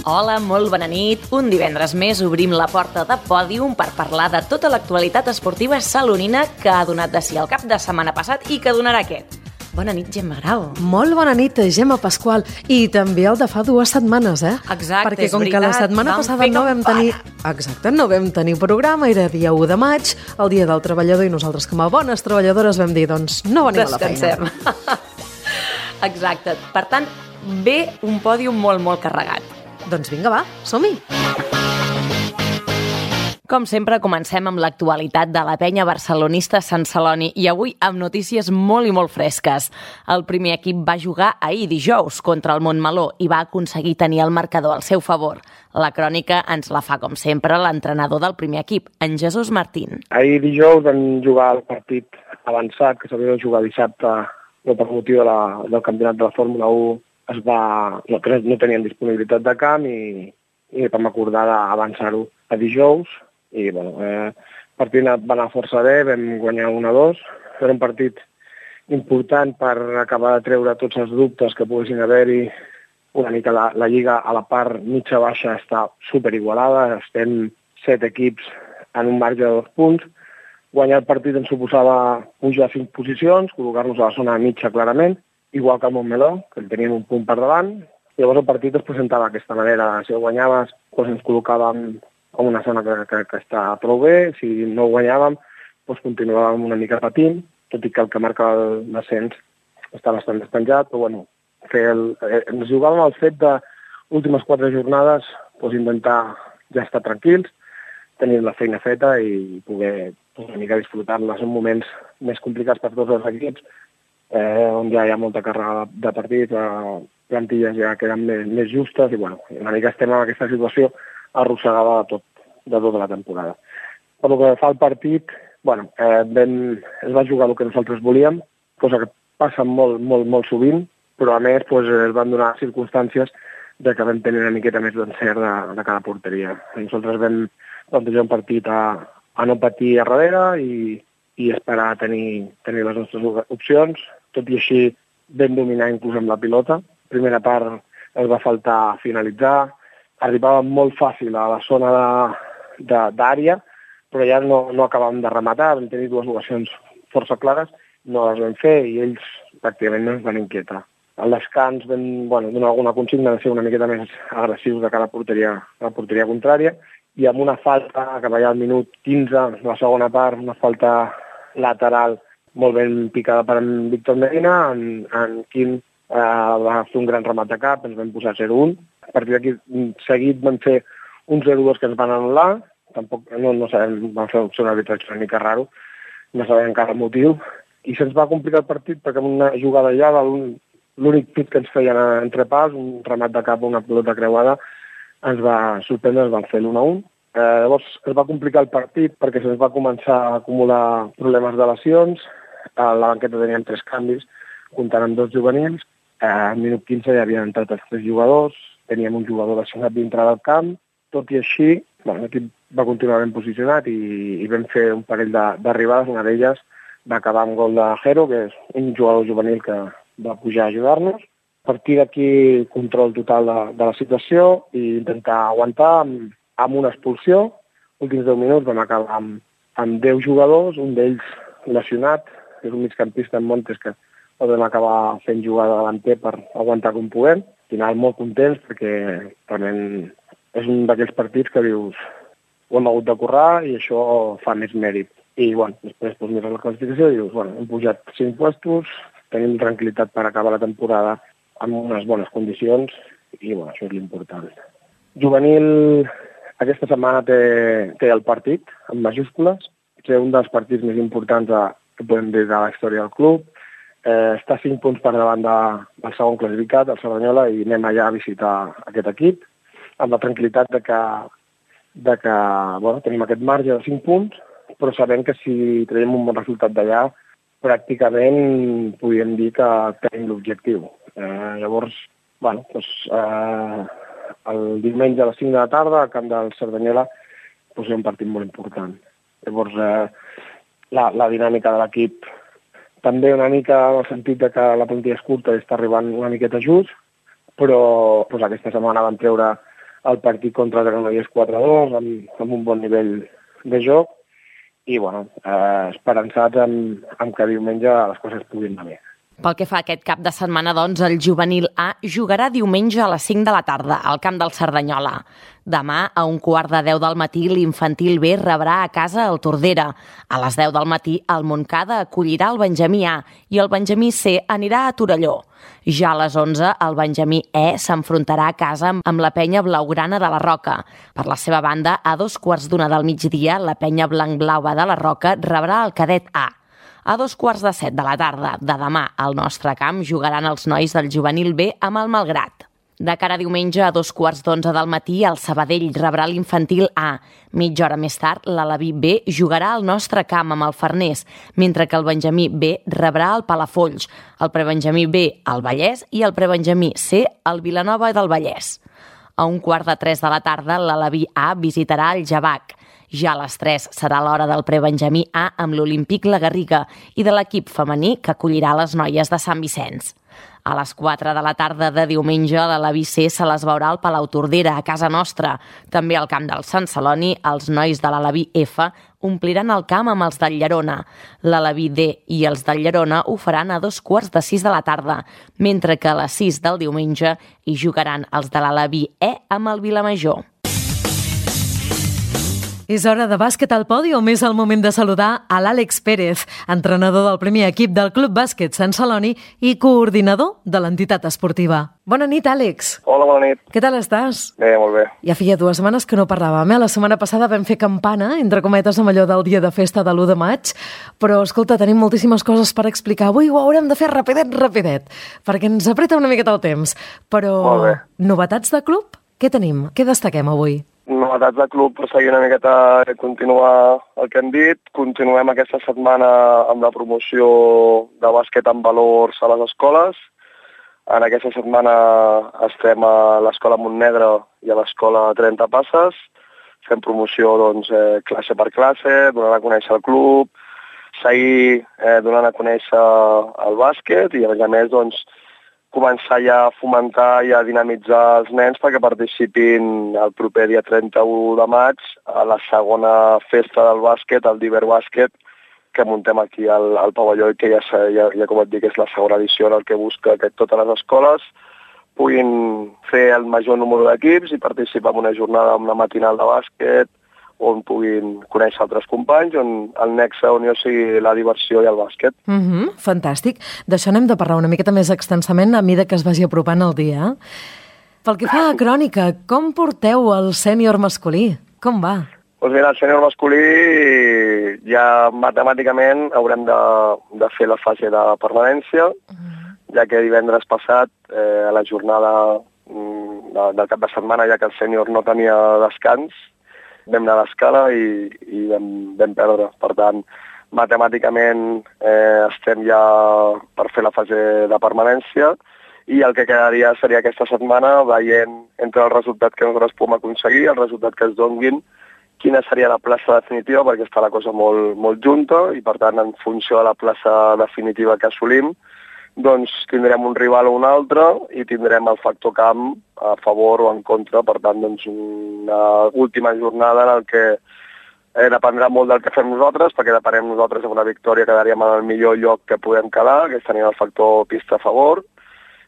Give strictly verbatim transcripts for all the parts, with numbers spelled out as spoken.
Hola, molt bona nit. Un divendres més obrim la porta de Pòdium per parlar de tota l'actualitat esportiva salonina que ha donat de si el cap de setmana passat i que donarà aquest. Bona nit, Gemma Grau. Molt bona nit, Gemma Pasqual. I també el de fa dues setmanes, eh? Exacte, Perquè és com veritat. que la setmana Vam passada fer no vam campanya. tenir... Exacte, no vam tenir programa, era dia u de maig, el dia del treballador, i nosaltres com a bones treballadores vam dir, doncs, no venim a la feina. Descansem. Exacte. Per tant, ve un pòdium molt, molt carregat. Doncs vinga, va, som-hi. Com sempre, comencem amb l'actualitat de la penya barcelonista Sant Celoni i avui amb notícies molt i molt fresques. El primer equip va jugar ahir dijous contra el Montmeló i va aconseguir tenir el marcador al seu favor. La crònica ens la fa, com sempre, l'entrenador del primer equip, en Jesús Martín. Ahir dijous vam jugar el partit avançat, que s'havia de jugar dissabte, no per motiu de la, del campionat de la Fórmula u, es va, no, no tenien disponibilitat de camp i, i vam acordar d'avançar-ho a dijous. I bueno, eh, el partit va anar força bé, vam guanyar un a dos. Era un partit important per acabar de treure tots els dubtes que poguessin haver-hi. Una mica la, la lliga a la part mitja-baixa està superigualada, estem set equips en un marge de dos punts. Guanyar el partit ens suposava pujar cinc posicions, col·locar-nos a la zona mitja clarament, igual que el Montmeló, que en teníem un punt per davant. Llavors el partit es presentava d'aquesta manera. Si el guanyaves, doncs ens col·locàvem en una zona que, que, que està prou bé. Si no ho guanyàvem, doncs continuàvem una mica patint, tot i que el que marca l'ascens està bastant despenjat. Però bueno, fer el, eh, ens jugàvem al fet de últimes quatre jornades doncs intentar ja estar tranquils, tenir la feina feta i poder doncs, una mica disfrutar-la. Són moments més complicats per tots els equips, eh, on ja hi ha molta càrrega de partit, eh, plantilles ja queden més, més justes i bueno, una mica estem en aquesta situació arrossegada de, tot, de tota la temporada. Per que fa el partit, bueno, eh, ben, es va jugar el que nosaltres volíem, cosa que passa molt, molt, molt sovint, però a més doncs, es van donar circumstàncies de que vam tenir una miqueta més d'encert de, de cada porteria. Nosaltres vam plantejar un partit a, a no patir a darrere i, i esperar a tenir, tenir les nostres opcions. Tot i així vam dominar inclús amb la pilota. Primera part es va faltar finalitzar, arribàvem molt fàcil a la zona d'àrea, però ja no, no acabàvem de rematar, vam tenir dues ocasions força clares, no les vam fer i ells pràcticament no ens van inquietar. Al descans vam bueno, donar alguna consigna de ser una miqueta més agressius de cara a porteria, a la porteria contrària, i amb una falta que va al minut quinze, la segona part, una falta lateral molt ben picada per en Víctor Medina, en, en Quim eh, va fer un gran remat de cap, ens vam posar zero un. A partir d'aquí seguit van fer un zero dos que ens van anul·lar, tampoc no, no sabem, van fer un arbitratge una mica raro, no sabem encara el motiu, i se'ns va complicar el partit perquè amb una jugada allà, l'únic pit que ens feien entre pals, un remat de cap o una pilota creuada, ens va sorprendre, ens van fer l'un a un. Eh, llavors es va complicar el partit perquè se'ns va començar a acumular problemes de lesions, a la banqueta teníem tres canvis, comptant amb dos juvenils, eh, al minut quinze ja havien entrat els tres jugadors, teníem un jugador lesionat dintre del camp, tot i així, bueno, l'equip va continuar ben posicionat i, i vam fer un parell d'arribades, una d'elles va acabar amb gol de Jero, que és un jugador juvenil que va pujar a ajudar-nos. A partir d'aquí, control total de, de la situació i intentar aguantar amb, amb una expulsió. Últims deu minuts vam acabar amb, amb deu jugadors, un d'ells lesionat, que és un migcampista en Montes que el vam acabar fent jugar de davanter per aguantar com puguem. Al final molt contents perquè realment és un d'aquells partits que dius ho hem hagut de currar i això fa més mèrit. I bueno, després doncs, mires la classificació i dius, bueno, hem pujat cinc puestos, tenim tranquil·litat per acabar la temporada amb unes bones condicions i bueno, això és l'important. Juvenil aquesta setmana té, té el partit en majúscules, és un dels partits més importants de, que podem dir de la història del club. Eh, està cinc punts per davant de, del segon classificat, el Cerdanyola, i anem allà a visitar aquest equip amb la tranquil·litat de que, de que bueno, tenim aquest marge de cinc punts, però sabem que si traiem un bon resultat d'allà, pràcticament podríem dir que tenim l'objectiu. Eh, llavors, bueno, doncs, eh, el diumenge a les cinc de la tarda, al camp del Cerdanyola, doncs, és un partit molt important. Llavors, eh, la, la dinàmica de l'equip també una mica en el sentit de que la plantilla és curta i està arribant una miqueta just, però doncs, aquesta setmana van treure el partit contra el Granollers quatre a dos, amb, amb un bon nivell de joc, i bueno, eh, esperançats amb, amb que diumenge les coses puguin anar bé. Pel que fa a aquest cap de setmana, doncs, el juvenil A jugarà diumenge a les cinc de la tarda al camp del Cerdanyola. Demà, a un quart de deu del matí, l'infantil B rebrà a casa el Tordera. A les deu del matí, el Montcada acollirà el Benjamí A i el Benjamí C anirà a Torelló. Ja a les onze, el Benjamí E s'enfrontarà a casa amb la penya blaugrana de la Roca. Per la seva banda, a dos quarts d'una del migdia, la penya blanc-blaua de la Roca rebrà el cadet A. A dos quarts de set de la tarda de demà, al nostre camp, jugaran els nois del juvenil B amb el Malgrat. De cara a diumenge, a dos quarts d'onze del matí, el Sabadell rebrà l'infantil A. Mitja hora més tard, l'Alaví B jugarà al nostre camp amb el Farners, mentre que el Benjamí B rebrà el Palafolls, el prebenjamí B al Vallès i el prebenjamí C al Vilanova del Vallès. A un quart de tres de la tarda, l'Alaví A visitarà el Javac. Ja a les tres serà l'hora del prebenjamí A amb l'Olímpic La Garriga i de l'equip femení que acollirà les noies de Sant Vicenç. A les quatre de la tarda de diumenge, l'Alaví C se les veurà al Palau Tordera, a casa nostra. També al camp del Sant Celoni, els nois de l'Alaví F ompliran el camp amb els del Llerona. L'Alaví D i els del Llerona ho faran a dos quarts de sis de la tarda, mentre que a les sis del diumenge hi jugaran els de l'Alaví E amb el Vilamajor. És hora de bàsquet al pòdium. És el moment de saludar a l'Àlex Pérez, entrenador del primer equip del Club Bàsquet Sant Celoni i coordinador de l'entitat esportiva. Bona nit, Àlex. Hola, bona nit. Què tal estàs? Bé, molt bé. Ja feia dues setmanes que no parlàvem, eh? La setmana passada vam fer campana, entre cometes, amb allò del dia de festa de l'u de maig, però, escolta, tenim moltíssimes coses per explicar. Avui ho haurem de fer rapidet, rapidet, perquè ens apreta una miqueta el temps. Però, molt bé. Novetats de club? Què tenim? Què destaquem avui? Novetats de club, per seguir una miqueta i continuar el que hem dit. Continuem aquesta setmana amb la promoció de bàsquet amb valors a les escoles. En aquesta setmana estem a l'Escola Montnegre i a l'Escola trenta Passes. Fem promoció doncs, eh, classe per classe, donant a conèixer el club, seguir eh, donant a conèixer el bàsquet i, a més a més, doncs, començar ja a fomentar i a dinamitzar els nens perquè participin el proper dia trenta-u de maig a la segona festa del bàsquet, el Diver Bàsquet, que muntem aquí al, al pavelló i que ja, ja, ja, com et dic, és la segona edició en el que busca que totes les escoles puguin fer el major número d'equips i participar en una jornada, en una matinal de bàsquet, on puguin conèixer altres companys, on el nexe on hi sigui la diversió i el bàsquet. Mm-hmm, fantàstic. D'això n'hem de parlar una miqueta més extensament a mesura que es vagi apropant el dia. Pel que fa a crònica, com porteu el sènior masculí? Com va? Doncs mira, el sènior masculí ja matemàticament haurem de, de fer la fase de permanència, mm. ja que divendres passat, eh, a la jornada mm, de, del cap de setmana, ja que el sènior no tenia descans, vam anar a l'escala i, i vam, vam perdre. Per tant, matemàticament eh, estem ja per fer la fase de permanència i el que quedaria seria aquesta setmana veient entre el resultat que nosaltres podem aconseguir, el resultat que es donguin, quina seria la plaça definitiva, perquè està la cosa molt, molt junta i, per tant, en funció de la plaça definitiva que assolim, doncs tindrem un rival o un altre i tindrem el factor camp a favor o en contra. Per tant, doncs, una última jornada en el que eh, dependrà molt del que fem nosaltres, perquè depenem nosaltres amb una victòria quedaríem en el millor lloc que podem quedar, que és tenir el factor pista a favor,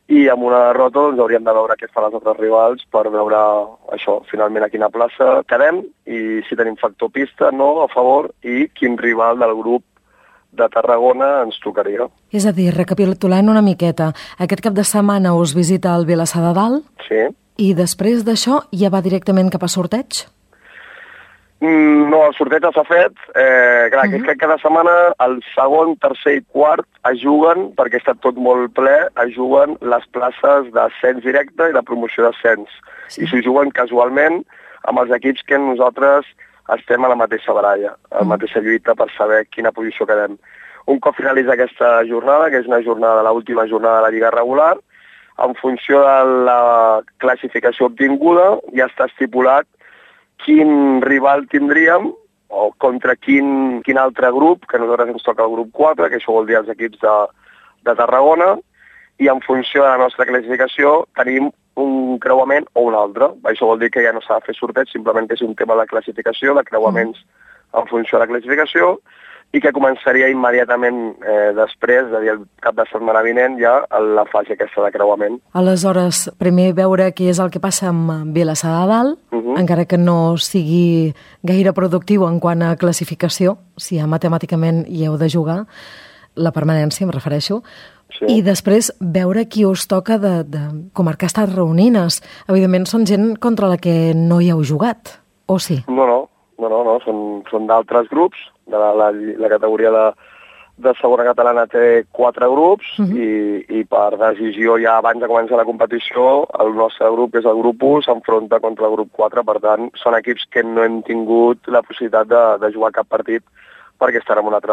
i amb una derrota doncs, hauríem de veure què fan els altres rivals per veure això, finalment a quina plaça quedem i si tenim factor pista, no, a favor, i quin rival del grup de Tarragona ens tocaria. És a dir, recapitulant una miqueta, aquest cap de setmana us visita el Vilassar de Dalt? Sí. I després d'això ja va directament cap a sorteig? Mm, no, el sorteig ja s'ha fet. Eh, clar, uh-huh. que cada setmana el segon, tercer i quart es juguen, perquè està tot molt ple, es juguen les places d'ascens directe i de promoció d'ascens. Sí. I s'ho juguen casualment amb els equips que nosaltres estem a la mateixa baralla, a la mateixa lluita per saber quina posició quedem. Un cop finalitza aquesta jornada, que és una jornada, l'última jornada de la Lliga regular, en funció de la classificació obtinguda ja està estipulat quin rival tindríem o contra quin, quin altre grup, que a nosaltres ens toca el grup quatre, que això vol dir els equips de, de Tarragona, i en funció de la nostra classificació tenim un creuament o un altre. Això vol dir que ja no s'ha de fer sorteig, simplement que és un tema de classificació, de creuaments mm. en funció de la classificació, i que començaria immediatament eh, després, és a dir, el cap de setmana vinent, ja la fase aquesta de creuament. Aleshores, primer veure què és el que passa amb Vilassar de Dalt, uh -huh. encara que no sigui gaire productiu en quant a classificació, si ja matemàticament hi heu de jugar, la permanència, em refereixo, sí. I després veure qui us toca de, de comarcar estas reunines. Evidentment són gent contra la que no hi heu jugat, o sí? No, no, no, no, no. són, són d'altres grups. De la, la, la categoria de, de segona catalana té quatre grups uh -huh. i, i per decisió ja abans de començar la competició el nostre grup, que és el grup u, s'enfronta contra el grup quatre, per tant són equips que no hem tingut la possibilitat de, de jugar cap partit perquè estan en un altre,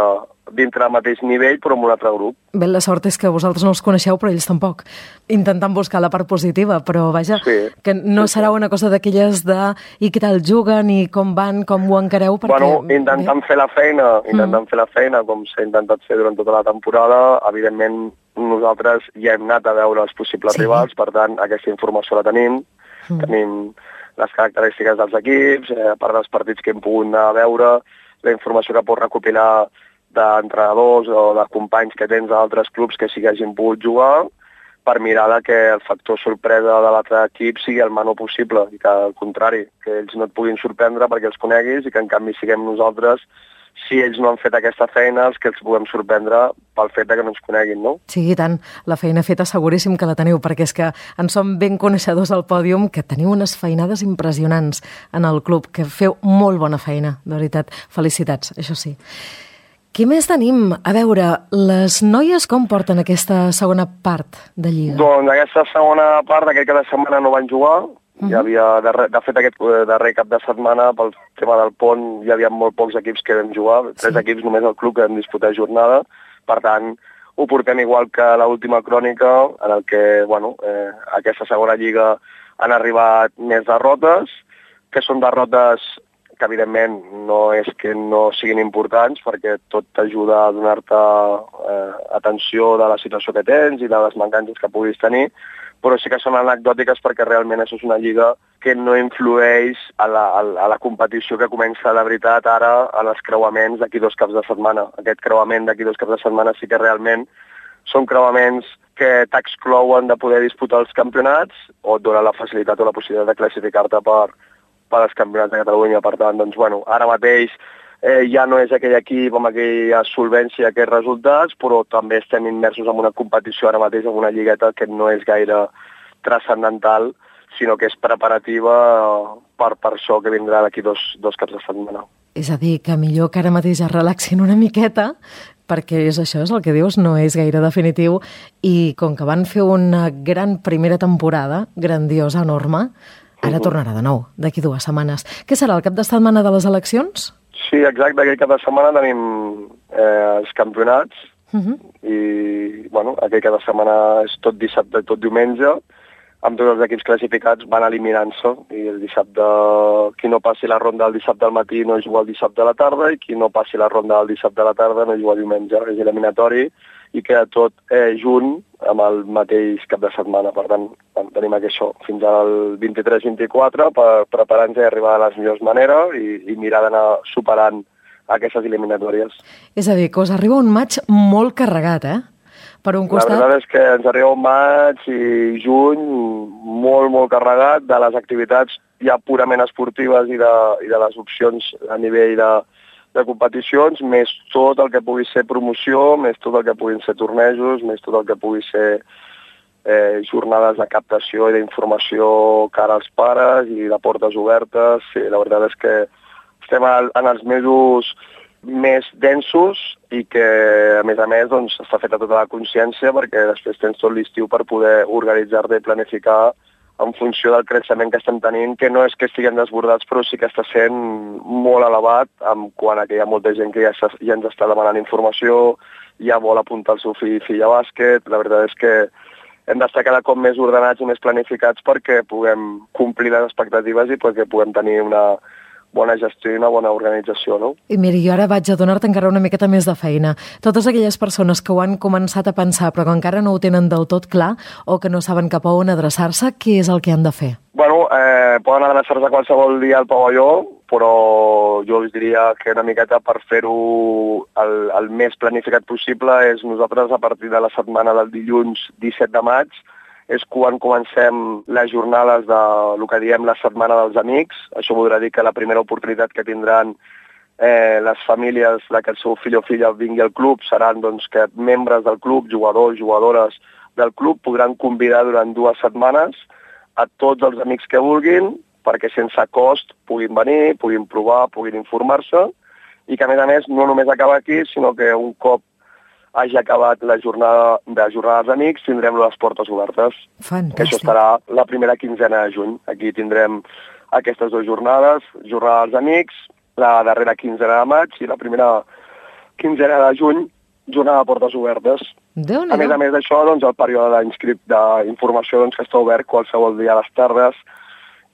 dintre del mateix nivell però en un altre grup. Bé, la sort és que vosaltres no els coneixeu però ells tampoc, intentant buscar la part positiva, però vaja, sí, que no sí, serà una cosa d'aquelles de i què tal juguen i com van, com ho encareu, perquè... Bueno, intentant bé. fer la feina, intentant mm. fer la feina com s'ha intentat fer durant tota la temporada, evidentment nosaltres ja hem anat a veure els possibles sí. rivals, per tant aquesta informació la tenim, mm. tenim les característiques dels equips, eh, a part dels partits que hem pogut anar a veure, la informació que pots recopilar d'entrenadors o de companys que tens d'altres clubs que sí que hagin pogut jugar, per mirar que el factor sorpresa de l'altre equip sigui el menor possible i que al contrari, que ells no et puguin sorprendre perquè els coneguis i que en canvi siguem nosaltres, si ells no han fet aquesta feina, els que els puguem sorprendre pel fet de que no ens coneguin, no? Sí, i tant. La feina feta seguríssim que la teniu, perquè és que en som ben coneixedors al pòdium, que teniu unes feinades impressionants en el club, que feu molt bona feina, de veritat. Felicitats, això sí. Què més tenim? A veure, les noies com porten aquesta segona part de Lliga? Doncs aquesta segona part, aquest cap de setmana no van jugar. Uh-huh. Hi havia, de, de fet, aquest darrer cap de setmana, pel tema del pont, hi havia molt pocs equips que vam jugar, tres sí. equips només al club que vam disputar jornada, per tant, ho portem igual que l'última crònica, en el que, bueno, eh, aquesta segona lliga han arribat més derrotes, que són derrotes que evidentment no és que no siguin importants, perquè tot t'ajuda a donar-te eh, atenció de la situació que tens i de les mancances que puguis tenir, però sí que són anecdòtiques perquè realment això és una lliga que no influeix a la, a la competició que comença de veritat ara en els creuaments d'aquí dos caps de setmana. Aquest creuament d'aquí dos caps de setmana sí que realment són creuaments que t'exclouen de poder disputar els campionats o et donen la facilitat o la possibilitat de classificar-te per, per als campionats de Catalunya. Per tant, doncs, bueno, ara mateix Eh, ja no és aquell equip amb aquella solvència, aquests resultats, però també estem immersos en una competició ara mateix, en una lligueta que no és gaire transcendental, sinó que és preparativa per, per això que vindrà d'aquí dos, dos caps de setmana. És a dir, que millor que ara mateix es relaxin una miqueta, perquè és això, és el que dius, no és gaire definitiu, i com que van fer una gran primera temporada, grandiosa, enorme, ara uh-huh. tornarà de nou, d'aquí dues setmanes. Què serà, el cap de setmana de les eleccions? Sí, exacte, aquell cap de setmana tenim eh, els campionats uh-huh. i, bueno, aquell cap de setmana és tot dissabte i tot diumenge, amb tots els equips classificats van eliminant-se i el dissabte, qui no passi la ronda el dissabte al matí no juga el dissabte a la tarda i qui no passi la ronda el dissabte a la tarda no juga diumenge, és eliminatori i queda tot eh, junt amb el mateix cap de setmana. Per tant, tenim això fins al vint-i-tres vint-i-quatre per preparar-nos i arribar de les millors maneres i, i mirar d'anar superant aquestes eliminatòries. És a dir, que us arriba un maig molt carregat, eh? Per un costat... La veritat és que ens arriba un maig i juny molt, molt carregat de les activitats ja purament esportives i de, i de les opcions a nivell de, de competicions, més tot el que pugui ser promoció, més tot el que puguin ser tornejos, més tot el que pugui ser eh, jornades de captació i d'informació cara als pares i de portes obertes. Sí, la veritat és que estem en els mesos més densos i que, a més a més, doncs, està feta tota la consciència perquè després tens tot l'estiu per poder organitzar-te i planificar en funció del creixement que estem tenint, que no és que estiguem desbordats, però sí que està sent molt elevat en quant a que hi ha molta gent que ja, ja ens està demanant informació, ja vol apuntar el seu fill i filla a bàsquet. La veritat és que hem d'estar cada cop més ordenats i més planificats perquè puguem complir les expectatives i perquè puguem tenir una, bona gestió i una bona organització, no? I mira, jo ara vaig a donar-te encara una miqueta més de feina. Totes aquelles persones que ho han començat a pensar però que encara no ho tenen del tot clar o que no saben cap a on adreçar-se, què és el que han de fer? Bueno, eh, poden adreçar-se qualsevol dia al pavelló, però jo us diria que una miqueta per fer-ho el, el més planificat possible és nosaltres a partir de la setmana del dilluns disset de maig és quan comencem les jornades de el que diem la setmana dels amics. Això voldrà dir que la primera oportunitat que tindran eh, les famílies de que el seu fill o filla vingui al club seran doncs, que membres del club, jugadors, jugadores del club, podran convidar durant dues setmanes a tots els amics que vulguin perquè sense cost puguin venir, puguin provar, puguin informar-se i que a més a més no només acaba aquí, sinó que un cop hagi acabat la jornada de jornada dels amics, tindrem les portes obertes. Fantàstic. Això estarà la primera quinzena de juny. Aquí tindrem aquestes dues jornades, jornada dels amics, la darrera quinzena de maig i la primera quinzena de juny, jornada de portes obertes. Déu-n'hi-do. A més a més d'això, doncs, el període d'informació doncs, que està obert qualsevol dia a les tardes,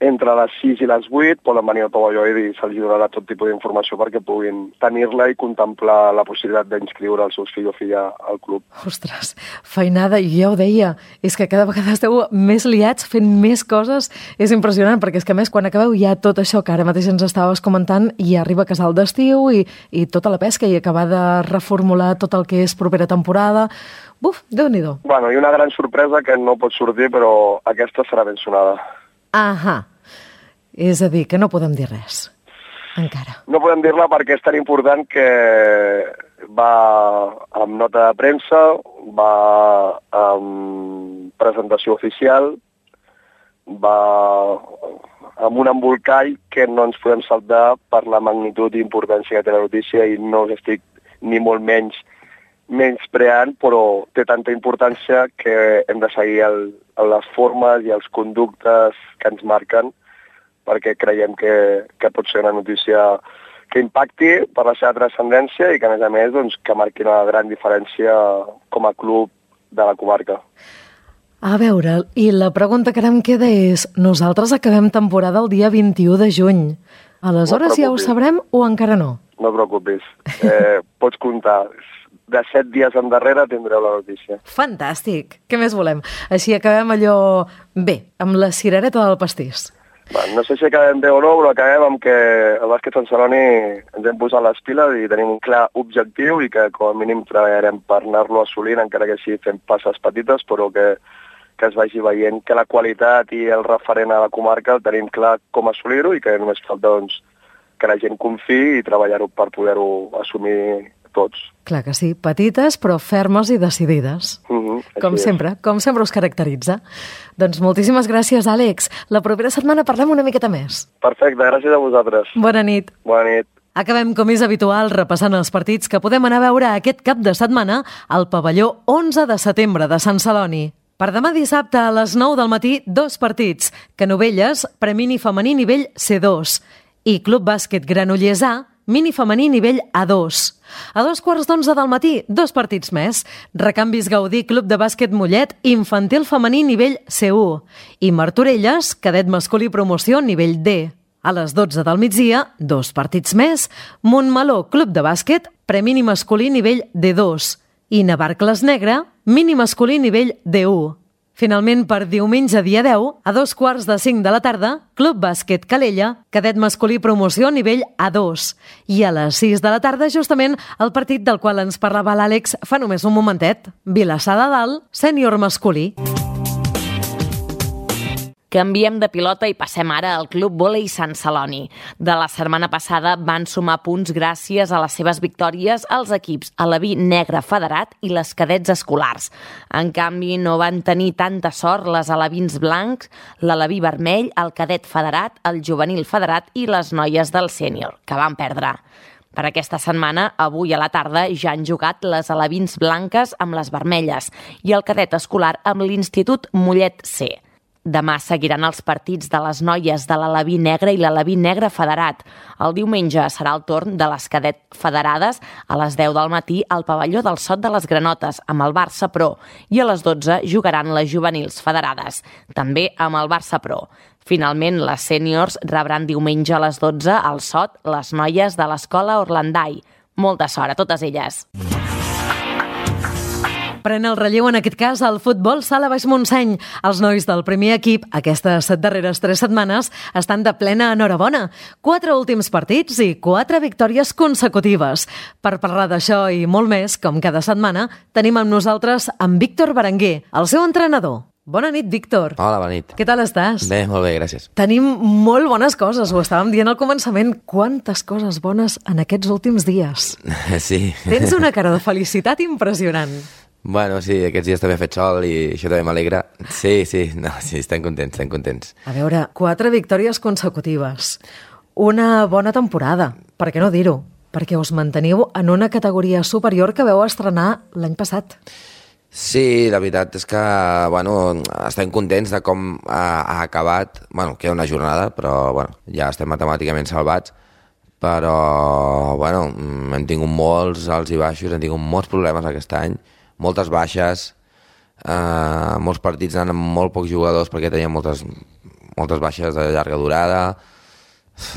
entre les sis i les vuit poden venir al pavelló i se'ls donarà tot tipus d'informació perquè puguin tenir-la i contemplar la possibilitat d'inscriure els seus fills o filla al club. Ostres, feinada, i ja ho deia, és que cada vegada esteu més liats fent més coses, és impressionant, perquè és que a més quan acabeu ja tot això que ara mateix ens estaves comentant i arriba casal d'estiu i, i tota la pesca i acabar de reformular tot el que és propera temporada. Buf, Déu-n'hi-do. Bueno, i una gran sorpresa que no pot sortir, però aquesta serà ben sonada. Ahà. És a dir, que no podem dir res, encara. No podem dir-la perquè és tan important que va amb nota de premsa, va amb presentació oficial, va amb un embolcall que no ens podem saltar per la magnitud i importància que té la notícia i no us estic ni molt menys menyspreant, però té tanta importància que hem de seguir el, les formes i els conductes que ens marquen perquè creiem que, que pot ser una notícia que impacti per la seva transcendència i que, a més a més, doncs, que marqui una gran diferència com a club de la comarca. A veure, i la pregunta que ara em queda és, nosaltres acabem temporada el dia vint-i-u de juny. Aleshores no ja ho sabrem o encara no? No et preocupis. Eh, pots comptar. De set dies endarrere tindreu la notícia. Fantàstic. Què més volem? Així acabem allò bé, amb la cirereta del pastís. Bueno, no sé si acabem bé o no, però acabem amb que el bàsquet Sant Celoni ens hem posat les piles i tenim un clar objectiu i que com a mínim treballarem per anar-lo assolint, encara que sigui fent passes petites, però que, que es vagi veient que la qualitat i el referent a la comarca el tenim clar com assolir-ho i que només falta doncs, que la gent confiï i treballar-ho per poder-ho assumir tots. Clar que sí, petites però fermes i decidides. Uh-huh, com sempre, com sempre us caracteritza. Doncs moltíssimes gràcies, Àlex. La propera setmana parlem una miqueta més. Perfecte, gràcies a vosaltres. Bona nit. Bona nit. Acabem, com és habitual, repassant els partits que podem anar a veure aquest cap de setmana al pavelló onze de setembre de Sant Celoni. Per demà dissabte a les nou del matí, dos partits. Canovelles, premini femení nivell C dos. I Club Bàsquet Granollers A, mini femení nivell A dos. A dos quarts d'onze del matí, dos partits més. Recanvis Gaudí, Club de Bàsquet Mollet, infantil femení nivell C u. I Martorelles, cadet masculí promoció nivell D. A les dotze del migdia, dos partits més. Montmeló, Club de Bàsquet, premini masculí nivell D dos. I Navarcles Negre, mini masculí nivell D u. Finalment, per diumenge dia deu, a dos quarts de cinc de la tarda, Club Bàsquet Calella, cadet masculí promoció nivell A dos. I a les sis de la tarda, justament, el partit del qual ens parlava l'Àlex fa només un momentet. Vilassar de Dalt, sènior masculí. Canviem de pilota i passem ara al Club Vòlei Sant Celoni. De la setmana passada van sumar punts gràcies a les seves victòries als equips Alaví Negre Federat i les cadets escolars. En canvi, no van tenir tanta sort les alevins blancs, l'Alaví vermell, el cadet federat, el juvenil federat i les noies del sènior, que van perdre. Per aquesta setmana, avui a la tarda, ja han jugat les alevins blanques amb les vermelles i el cadet escolar amb l'Institut Mollet C. Demà seguiran els partits de les noies de l'Alaví Negre i l'Alaví Negre Federat. El diumenge serà el torn de les cadet federades a les deu del matí al pavelló del Sot de les Granotes amb el Barça Pro i a les dotze jugaran les juvenils federades, també amb el Barça Pro. Finalment, les sèniors rebran diumenge a les dotze al Sot les noies de l'escola Orlandai. Molta sort a totes elles. Pren el relleu, en aquest cas, el futbol sala Baix Montseny. Els nois del primer equip, aquestes darreres tres setmanes, estan de plena enhorabona. Quatre últims partits i quatre victòries consecutives. Per parlar d'això i molt més, com cada setmana, tenim amb nosaltres en Víctor Berenguer, el seu entrenador. Bona nit, Víctor. Hola, bona nit. Què tal estàs? Bé, molt bé, gràcies. Tenim molt bones coses, ho estàvem dient al començament. Quantes coses bones en aquests últims dies. Sí. Tens una cara de felicitat impressionant. Bueno, sí, aquests dies també ha fet sol i això també m'alegra. Sí, sí, no, sí, estem contents, estem contents. A veure, quatre victòries consecutives. Una bona temporada, per què no dir-ho? Perquè us manteniu en una categoria superior que veu estrenar l'any passat. Sí, la veritat és que, bueno, estem contents de com ha, ha acabat. Bueno, queda una jornada, però, bueno, ja estem matemàticament salvats. Però, bueno, hem tingut molts alts i baixos, hem tingut molts problemes aquest any, moltes baixes, eh, molts partits anant amb molt pocs jugadors perquè teníem moltes, moltes baixes de llarga durada.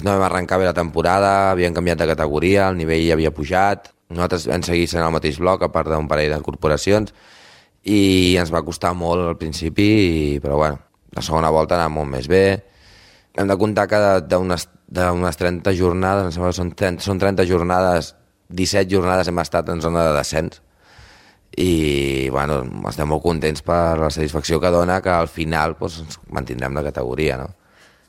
No vam arrencar bé la temporada, havíem canviat de categoria, el nivell havia pujat. Nosaltres vam seguir sent al mateix bloc, a part d'un parell de corporacions, i ens va costar molt al principi, però bueno, la segona volta anava molt més bé. Hem de comptar que d'unes d'unes trenta jornades, em sembla que són trenta, són trenta jornades, disset jornades hem estat en zona de descens, i bueno, estem molt contents per la satisfacció que dona que al final doncs, ens mantindrem la categoria, no?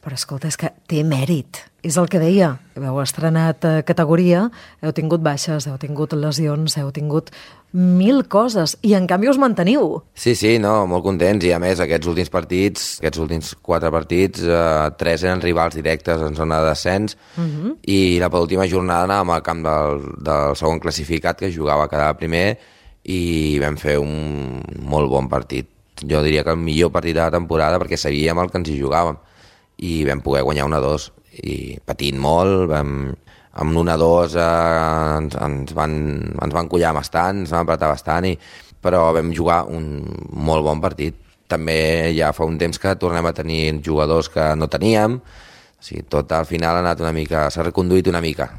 Però escolta, és que té mèrit. És el que deia. Heu estrenat eh, categoria, heu tingut baixes, heu tingut lesions, heu tingut mil coses, i en canvi us manteniu. Sí, sí, no, molt contents, i a més aquests últims partits, aquests últims quatre partits, eh, tres eren rivals directes en zona de descens, uh-huh. i la penúltima jornada anàvem al camp del, del segon classificat, que jugava a quedar primer, i vam fer un molt bon partit. Jo diria que el millor partit de la temporada, perquè sabíem el que ens hi jugàvem, i vam poder guanyar un a dos, i patint molt, vam, amb l'un a dos eh, ens, ens, van, ens van collar bastant, ens van apretar bastant, i, però vam jugar un molt bon partit. També ja fa un temps que tornem a tenir jugadors que no teníem, o sigui, tot al final ha anat una mica, s'ha reconduït una mica.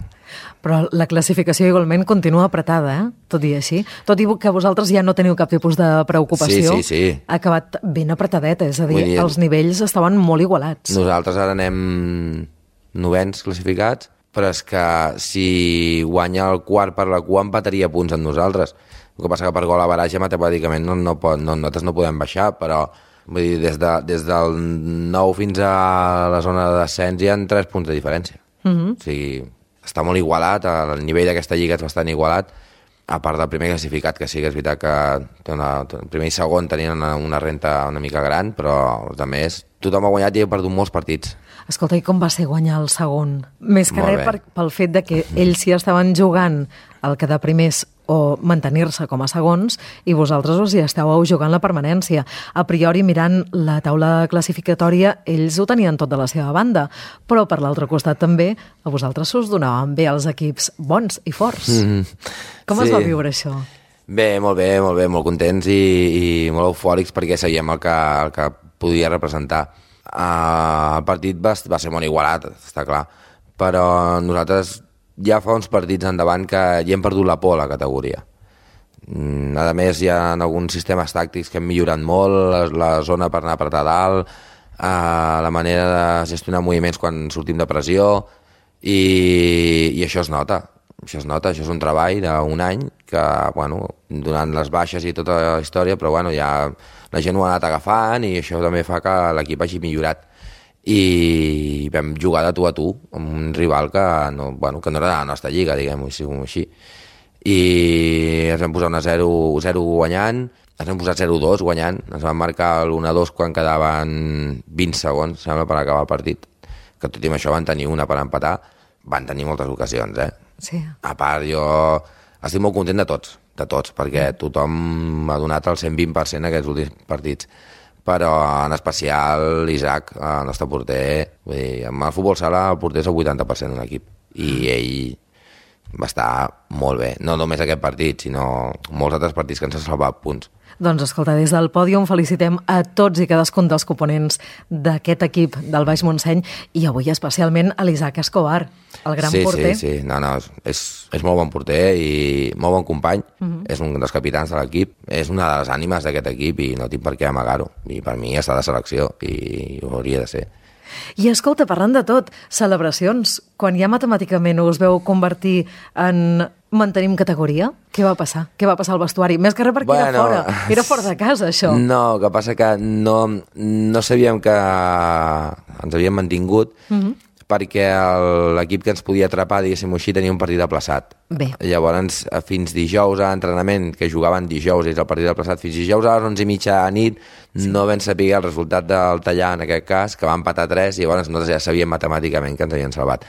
Però la classificació igualment continua apretada, eh? Tot i així. Tot i que vosaltres ja no teniu cap tipus de preocupació, sí, sí, sí. Ha acabat ben apretadeta, és a dir, dir, els nivells estaven molt igualats. Nosaltres ara anem novens classificats, però és que si guanya el quart per la cua empataria punts amb nosaltres. El que passa que per gol a baratge matemàticament no, no pot, no, nosaltres no podem baixar, però vull dir, des, de, des del nou fins a la zona de descens hi ha tres punts de diferència. Uh-huh. O sigui, està molt igualat, el nivell d'aquesta lliga és bastant igualat, a part del primer classificat, que sí que és veritat que té una, el primer i segon tenien una, una renta una mica gran, però els altres, tothom ha guanyat i ha perdut molts partits. Escolta, i com va ser guanyar el segon? Més que Molt res per, pel fet de que ells sí estaven jugant el quedar primers o mantenir-se com a segons, i vosaltres us hi estàveu jugant la permanència. A priori, mirant la taula classificatòria, ells ho tenien tot de la seva banda, però per l'altre costat també a vosaltres us donaven bé els equips bons i forts. Mm-hmm. Com sí. es va viure això? Bé, molt bé, molt bé, molt contents i, i molt eufòrics perquè sabíem el que, el que podia representar. Uh, el partit va, va ser molt igualat, està clar, però nosaltres ja fa uns partits endavant que ja hem perdut la por a la categoria. A més, hi ha alguns sistemes tàctics que hem millorat molt, la, la zona per anar a apretar dalt, uh, la manera de gestionar moviments quan sortim de pressió, i, i això es nota. Això es nota, això és un treball d'un any que, bueno, donant les baixes i tota la història, però bueno, ja la gent ho ha anat agafant i això també fa que l'equip hagi millorat. I vam jugar de tu a tu amb un rival que no, bueno, que no era de la nostra lliga, diguem-ho així. I ens vam posar una zero zero guanyant, ens vam posar zero dos guanyant, ens van marcar l'un a dos quan quedaven vint segons, sembla, per acabar el partit. Que tot i això van tenir una per empatar, van tenir moltes ocasions, eh? Sí. A part, jo estic molt content de tots, de tots, perquè tothom ha donat el cent vint per cent aquests últims partits. Però en especial l'Isaac, el nostre porter, vull dir, amb el futbol sala el porter és el vuitanta per cent d'un equip, i ell va estar molt bé. No només aquest partit, sinó molts altres partits que ens han salvat punts. Doncs escolta, des del pòdium felicitem a tots i cadascun dels components d'aquest equip del Baix Montseny i avui especialment a l'Isaac Escobar, el gran sí, porter. Sí, sí, no, no, és, és molt bon porter i molt bon company, uh-huh. És un dels capitans de l'equip, és una de les ànimes d'aquest equip i no tinc per què amagar-ho. I per mi està de selecció i ho hauria de ser. I escolta, parlant de tot, celebracions, quan ja matemàticament us veu convertir en mantenim categoria, què va passar? Què va passar al vestuari? Més que res perquè bueno, era fora, era fora de casa, això. No, que passa que no, no sabíem que ens havíem mantingut, uh-huh. perquè l'equip que ens podia atrapar, diguéssim així, tenia un partit aplaçat. Bé. Llavors, fins dijous a entrenament, que jugaven dijous, és el partit aplaçat, fins dijous a les onze i mitja a nit, sí. No vam saber el resultat del tallar, en aquest cas, que va empatar tres, i llavors nosaltres ja sabíem matemàticament que ens havien salvat.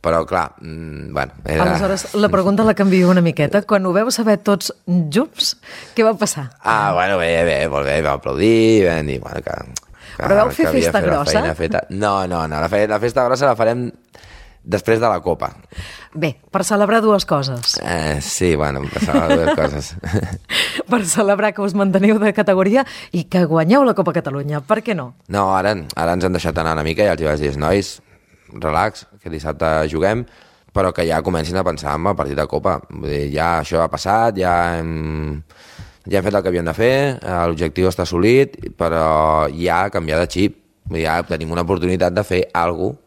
Però, clar, mmm, bueno... Era... Aleshores, la pregunta la canvio una miqueta. Quan ho veu saber tots junts, què va passar? Ah, bueno, bé, bé, molt bé, vam aplaudir, vam dir, bueno, que... que Però vau fer festa grossa? No, no, no, la, fe, la festa grossa la farem després de la Copa. Bé, per celebrar dues coses. Eh, sí, bueno, per celebrar dues coses. Per celebrar que us manteniu de categoria i que guanyeu la Copa Catalunya, per què no? No, ara, ara ens hem deixat anar una mica i els hi vaig dir, nois, relax, que dissabte juguem, però que ja comencin a pensar en el partit de Copa. Vull dir, ja això ha passat, ja hem, ja hem fet el que havíem de fer, l'objectiu està assolit, però ja ha canviat de xip. Vull dir, ja tenim una oportunitat de fer alguna cosa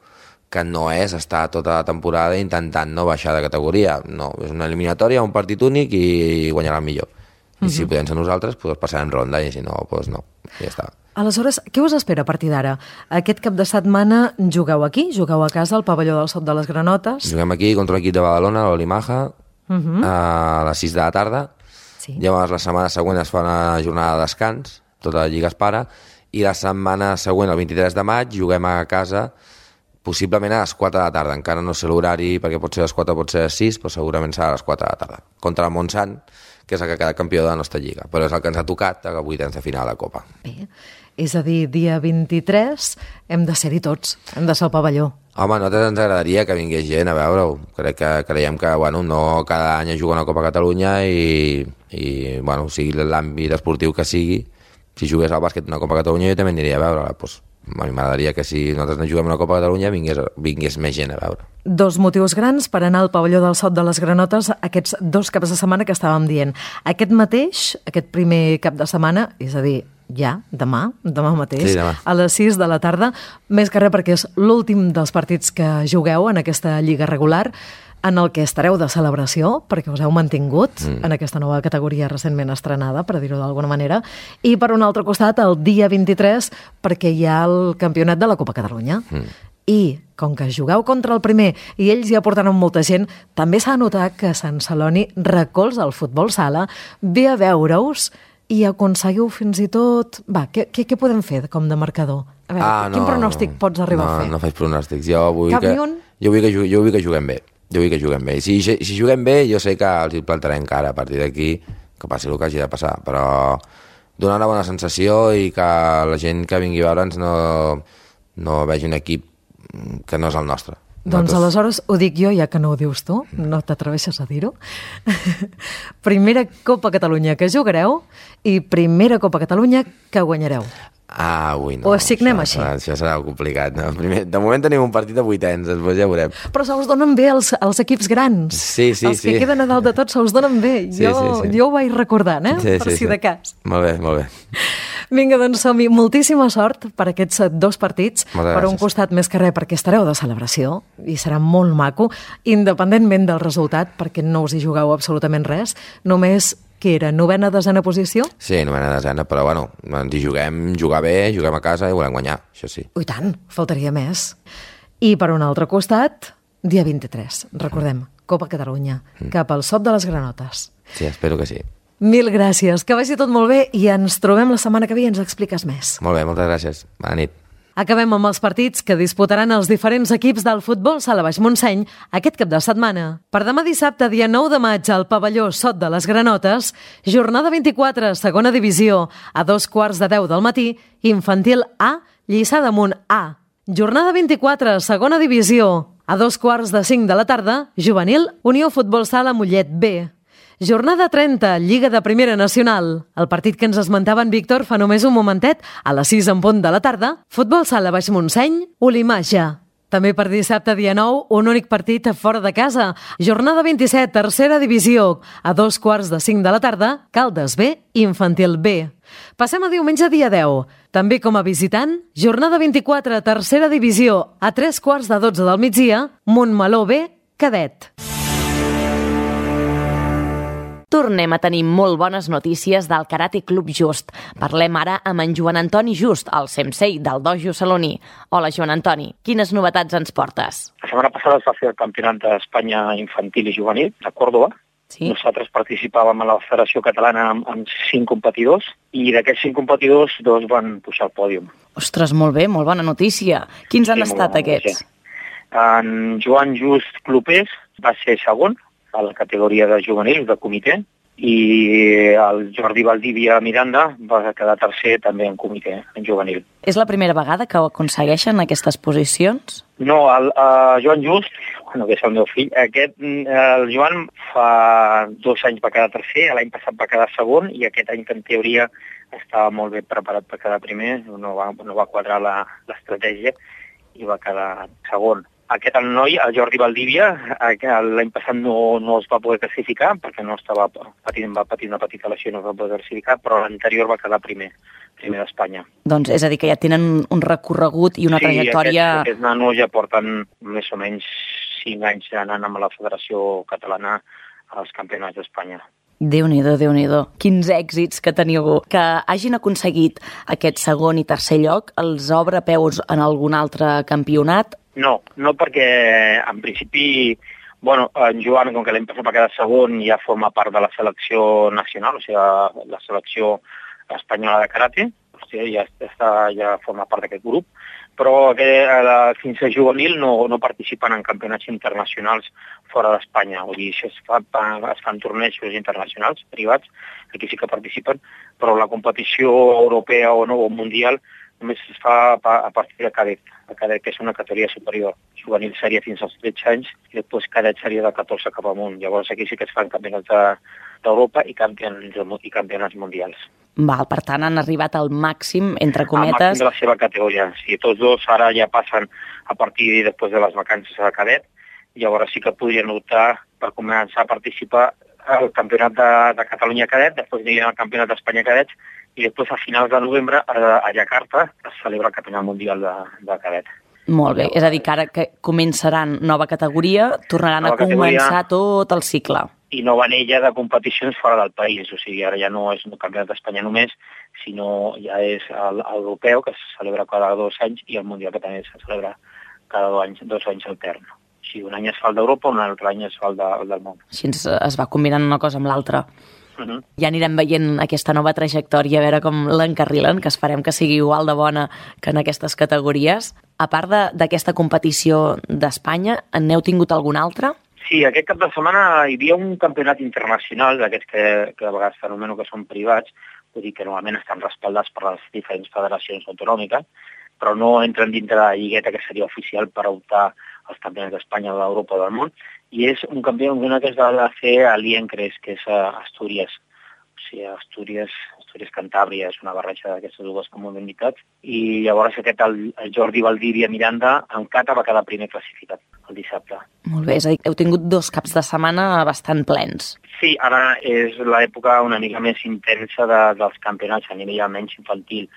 que no és estar tota la temporada intentant no baixar de categoria. No, és una eliminatòria, un partit únic i guanyarà el millor. I uh-huh. si podem ser nosaltres, doncs passarem ronda, i si no, doncs no, ja està. Aleshores, què us espera a partir d'ara? Aquest cap de setmana jugueu aquí, jugueu a casa al pavelló del Sot de les Granotes. Juguem aquí contra l'equip de Badalona, l'Olimaja, uh-huh. a les sis de la tarda. Sí. Llavors la setmana següent es fa una jornada de descans, tota la lliga es para, i la setmana següent, el vint-i-tres de maig, juguem a casa, possiblement a les quatre de la tarda. Encara no sé l'horari, perquè pot ser a les quatre, pot ser a les sis, però segurament serà a les quatre de la tarda. Contra el Montsant, que és el que ha quedat campió de la nostra lliga. Però és el que ens ha tocat a vuitens de final de Copa. Bé, és a dir, dia vint-i-tres hem de ser-hi tots, hem de ser al pavelló. Home, a nosaltres ens agradaria que vingués gent a veure-ho. Crec que creiem que, bueno, no cada any es juga una Copa Catalunya i, i bueno, sigui l'àmbit esportiu que sigui, si jugués al bàsquet una Copa Catalunya jo també aniria a veure-la, doncs. A mi m'agradaria que si nosaltres no juguem una Copa Catalunya vingués, vingués més gent a veure. Dos motius grans per anar al pavelló del Sot de les Granotes aquests dos caps de setmana que estàvem dient. Aquest mateix, aquest primer cap de setmana, és a dir, ja, demà, demà mateix, sí, demà. A les sis de la tarda, més que res perquè és l'últim dels partits que jugueu en aquesta lliga regular, en el que estareu de celebració, perquè us heu mantingut mm. en aquesta nova categoria recentment estrenada, per dir-ho d'alguna manera, i per un altre costat, el dia vint-i-tres, perquè hi ha el campionat de la Copa Catalunya. Mm. I, com que jugueu contra el primer i ells ja portaran molta gent, també s'ha notat que Sant Celoni recolza el futbol sala, ve a veure-us i aconseguiu fins i tot... Va, què, què, què podem fer com de marcador? A veure, ah, quin no, pronòstic pots arribar no, a fer? No faig pronòstics. Jo vull Cap que, ni un? Jo vull que, jo vull que juguem bé. Jo vull que juguem bé. Si, si juguem bé, jo sé que els hi plantarem cara a partir d'aquí, que passi el que hagi de passar, però donar una bona sensació i que la gent que vingui a veure'ns no, no vegi un equip que no és el nostre. Doncs aleshores ho dic jo, ja que no ho dius tu, no t'atreveixes a dir-ho. Primera Copa Catalunya que jugareu i primera Copa Catalunya que guanyareu. Ah, ui, no. O signem això, així. Això serà complicat. No? Primer, de moment tenim un partit de vuitens, després ja veurem. Però se us donen bé els, els equips grans. Sí, sí, els sí. que queden a dalt de tot se us donen bé. Sí, jo, sí, sí. jo ho vaig recordant, eh? Sí, per sí, si sí. de cas. Molt bé, molt bé. Vinga, doncs som-hi. Moltíssima sort per aquests dos partits. Moltes per un gràcies. costat més que res perquè estareu de celebració i serà molt maco, independentment del resultat, perquè no us hi jugueu absolutament res, només que era novena, desena posició? Sí, novena, desena, però bueno, ens hi juguem, jugar bé, juguem a casa i volem guanyar, això sí. Ui, tant, faltaria més. I per un altre costat, dia vint-i-tres, recordem, Copa Catalunya, mm. cap al Sot de les Granotes. Sí, espero que sí. Mil gràcies, que vagi tot molt bé i ens trobem la setmana que ve i ens expliques més. Molt bé, moltes gràcies. Bona nit. Acabem amb els partits que disputaran els diferents equips del futbol sala Baix Montseny aquest cap de setmana. Per demà dissabte, dia nou de maig, al pavelló Sot de les Granotes, jornada vint-i-quatre, segona divisió, a dos quarts de deu del matí, infantil A, Lliçà d'Amunt A. Jornada vint-i-quatre, segona divisió, A dos quarts de cinc de la tarda, juvenil, Unió Futbol Sala Mollet B. Jornada trenta, Lliga de Primera Nacional. El partit que ens esmentava en Víctor fa només un momentet, a les sis en punt de la tarda, Futbol Sala Baix Montseny, Olimaja. També per dissabte, dia nou, un únic partit fora de casa. Jornada vint-i-set, tercera divisió. A dos quarts de cinc de la tarda, Caldes B, Infantil B. Passem a diumenge, dia deu. També com a visitant, jornada vint-i-quatre, tercera divisió. A tres quarts de dotze del migdia, Montmeló B, Cadet. Tornem a tenir molt bones notícies del Karate Club Just. Parlem ara amb en Joan Antoni Just, el sensei del dojo saloní. Hola, Joan Antoni, quines novetats ens portes? La setmana passada es va fer el Campionat d'Espanya Infantil i Juvenil a Còrdoba. Sí. Nosaltres participàvem a la Federació Catalana amb, amb cinc competidors i d'aquests cinc competidors dos van pujar al pòdium. Ostres, molt bé, molt bona notícia. Quins sí, han estat aquests? En Joan Just Clopés va ser segon a la categoria de juvenils, de comitè, i el Jordi Valdivia Miranda va quedar tercer també en comitè, en juvenil. És la primera vegada que ho aconsegueixen aquestes posicions? No, el uh, Joan Just, bueno, que és el meu fill, aquest, el Joan fa dos anys va quedar tercer, l'any passat va quedar segon, i aquest any que en teoria estava molt bé preparat per quedar primer, no va, no va quadrar l'estratègia i va quedar segon. Aquest el noi, el Jordi Valdivia, l'any passat no, no es va poder classificar perquè no estava patint, va patir una petita lesió i no es va poder classificar, però l'anterior va quedar primer, primer d'Espanya. Doncs és a dir, que ja tenen un recorregut i una sí, trajectòria... Sí, aquests nanos ja porten més o menys cinc anys anant amb la Federació Catalana als Campionats d'Espanya. Déu-n'hi-do, Déu-n'hi-do. Quins èxits que teniu. Que hagin aconseguit aquest segon i tercer lloc, els obre peus en algun altre campionat? No, no perquè en principi, bueno, en Joan, com que l'any passat va quedar segon, ja forma part de la selecció nacional, o sigui, la selecció espanyola de karate, o sigui, ja, està, ja forma part d'aquest grup, però aquest, fins a juvenil no, no participen en campionats internacionals fora d'Espanya, vull dir, això es, fa, es fan tornejos internacionals, privats, aquí sí que participen, però la competició europea o no, o mundial només es fa a partir de cadet, a cadet, que és una categoria superior. Juvenil seria fins als tretze anys i després cadet seria de catorze cap amunt. Llavors aquí sí que es fan campionats d'Europa i campionats, i campionats mundials. Val, per tant, han arribat al màxim, entre cometes... Al màxim de la seva categoria. Sí, tots dos ara ja passen a partir de després de les vacances a cadet, llavors sí que podrien optar per començar a participar al Campionat de, de Catalunya cadet, després anirien al Campionat d'Espanya cadets, i després a finals de novembre a, a Jakarta es celebra el Campionat Mundial de, de cadet. Molt bé, és a dir, que ara que començaran nova categoria, tornaran nova a començar categoria, tot el cicle. I nova anella de competicions fora del país, o sigui, ara ja no és un Campionat d'Espanya només, sinó ja és l'europeu, que se celebra cada dos anys, i el Mundial, que també se celebra cada dos anys, dos anys altern. O sigui, un any es fa el d'Europa, un altre any es fa el, de, el del món. Així es va combinant una cosa amb l'altra. Uh -huh. Ja anirem veient aquesta nova trajectòria, a veure com l'encarrilen, que esperem que sigui igual de bona que en aquestes categories. A part d'aquesta competició d'Espanya, n'heu tingut alguna altra? Sí, aquest cap de setmana hi havia un campionat internacional, d'aquests que, que a vegades fenomeno que són privats, vull dir que normalment estan respaldats per les diferents federacions autonòmiques, però no entren dintre de la lligueta que seria oficial per optar als campionats d'Espanya, d'Europa o del món, i és un campionat que es va fer a l'Iencres, que és a Astúries. O sigui, Astúries, Astúries Cantàbria, és una barreja d'aquestes dues comunitats, i llavors aquest, el, el Jordi Valdivia Miranda, en kata va quedar primer classificat el dissabte. Molt bé, és a dir, heu tingut dos caps de setmana bastant plens. Sí, ara és l'època una mica més intensa de, dels campionats a nivell almenys infantil.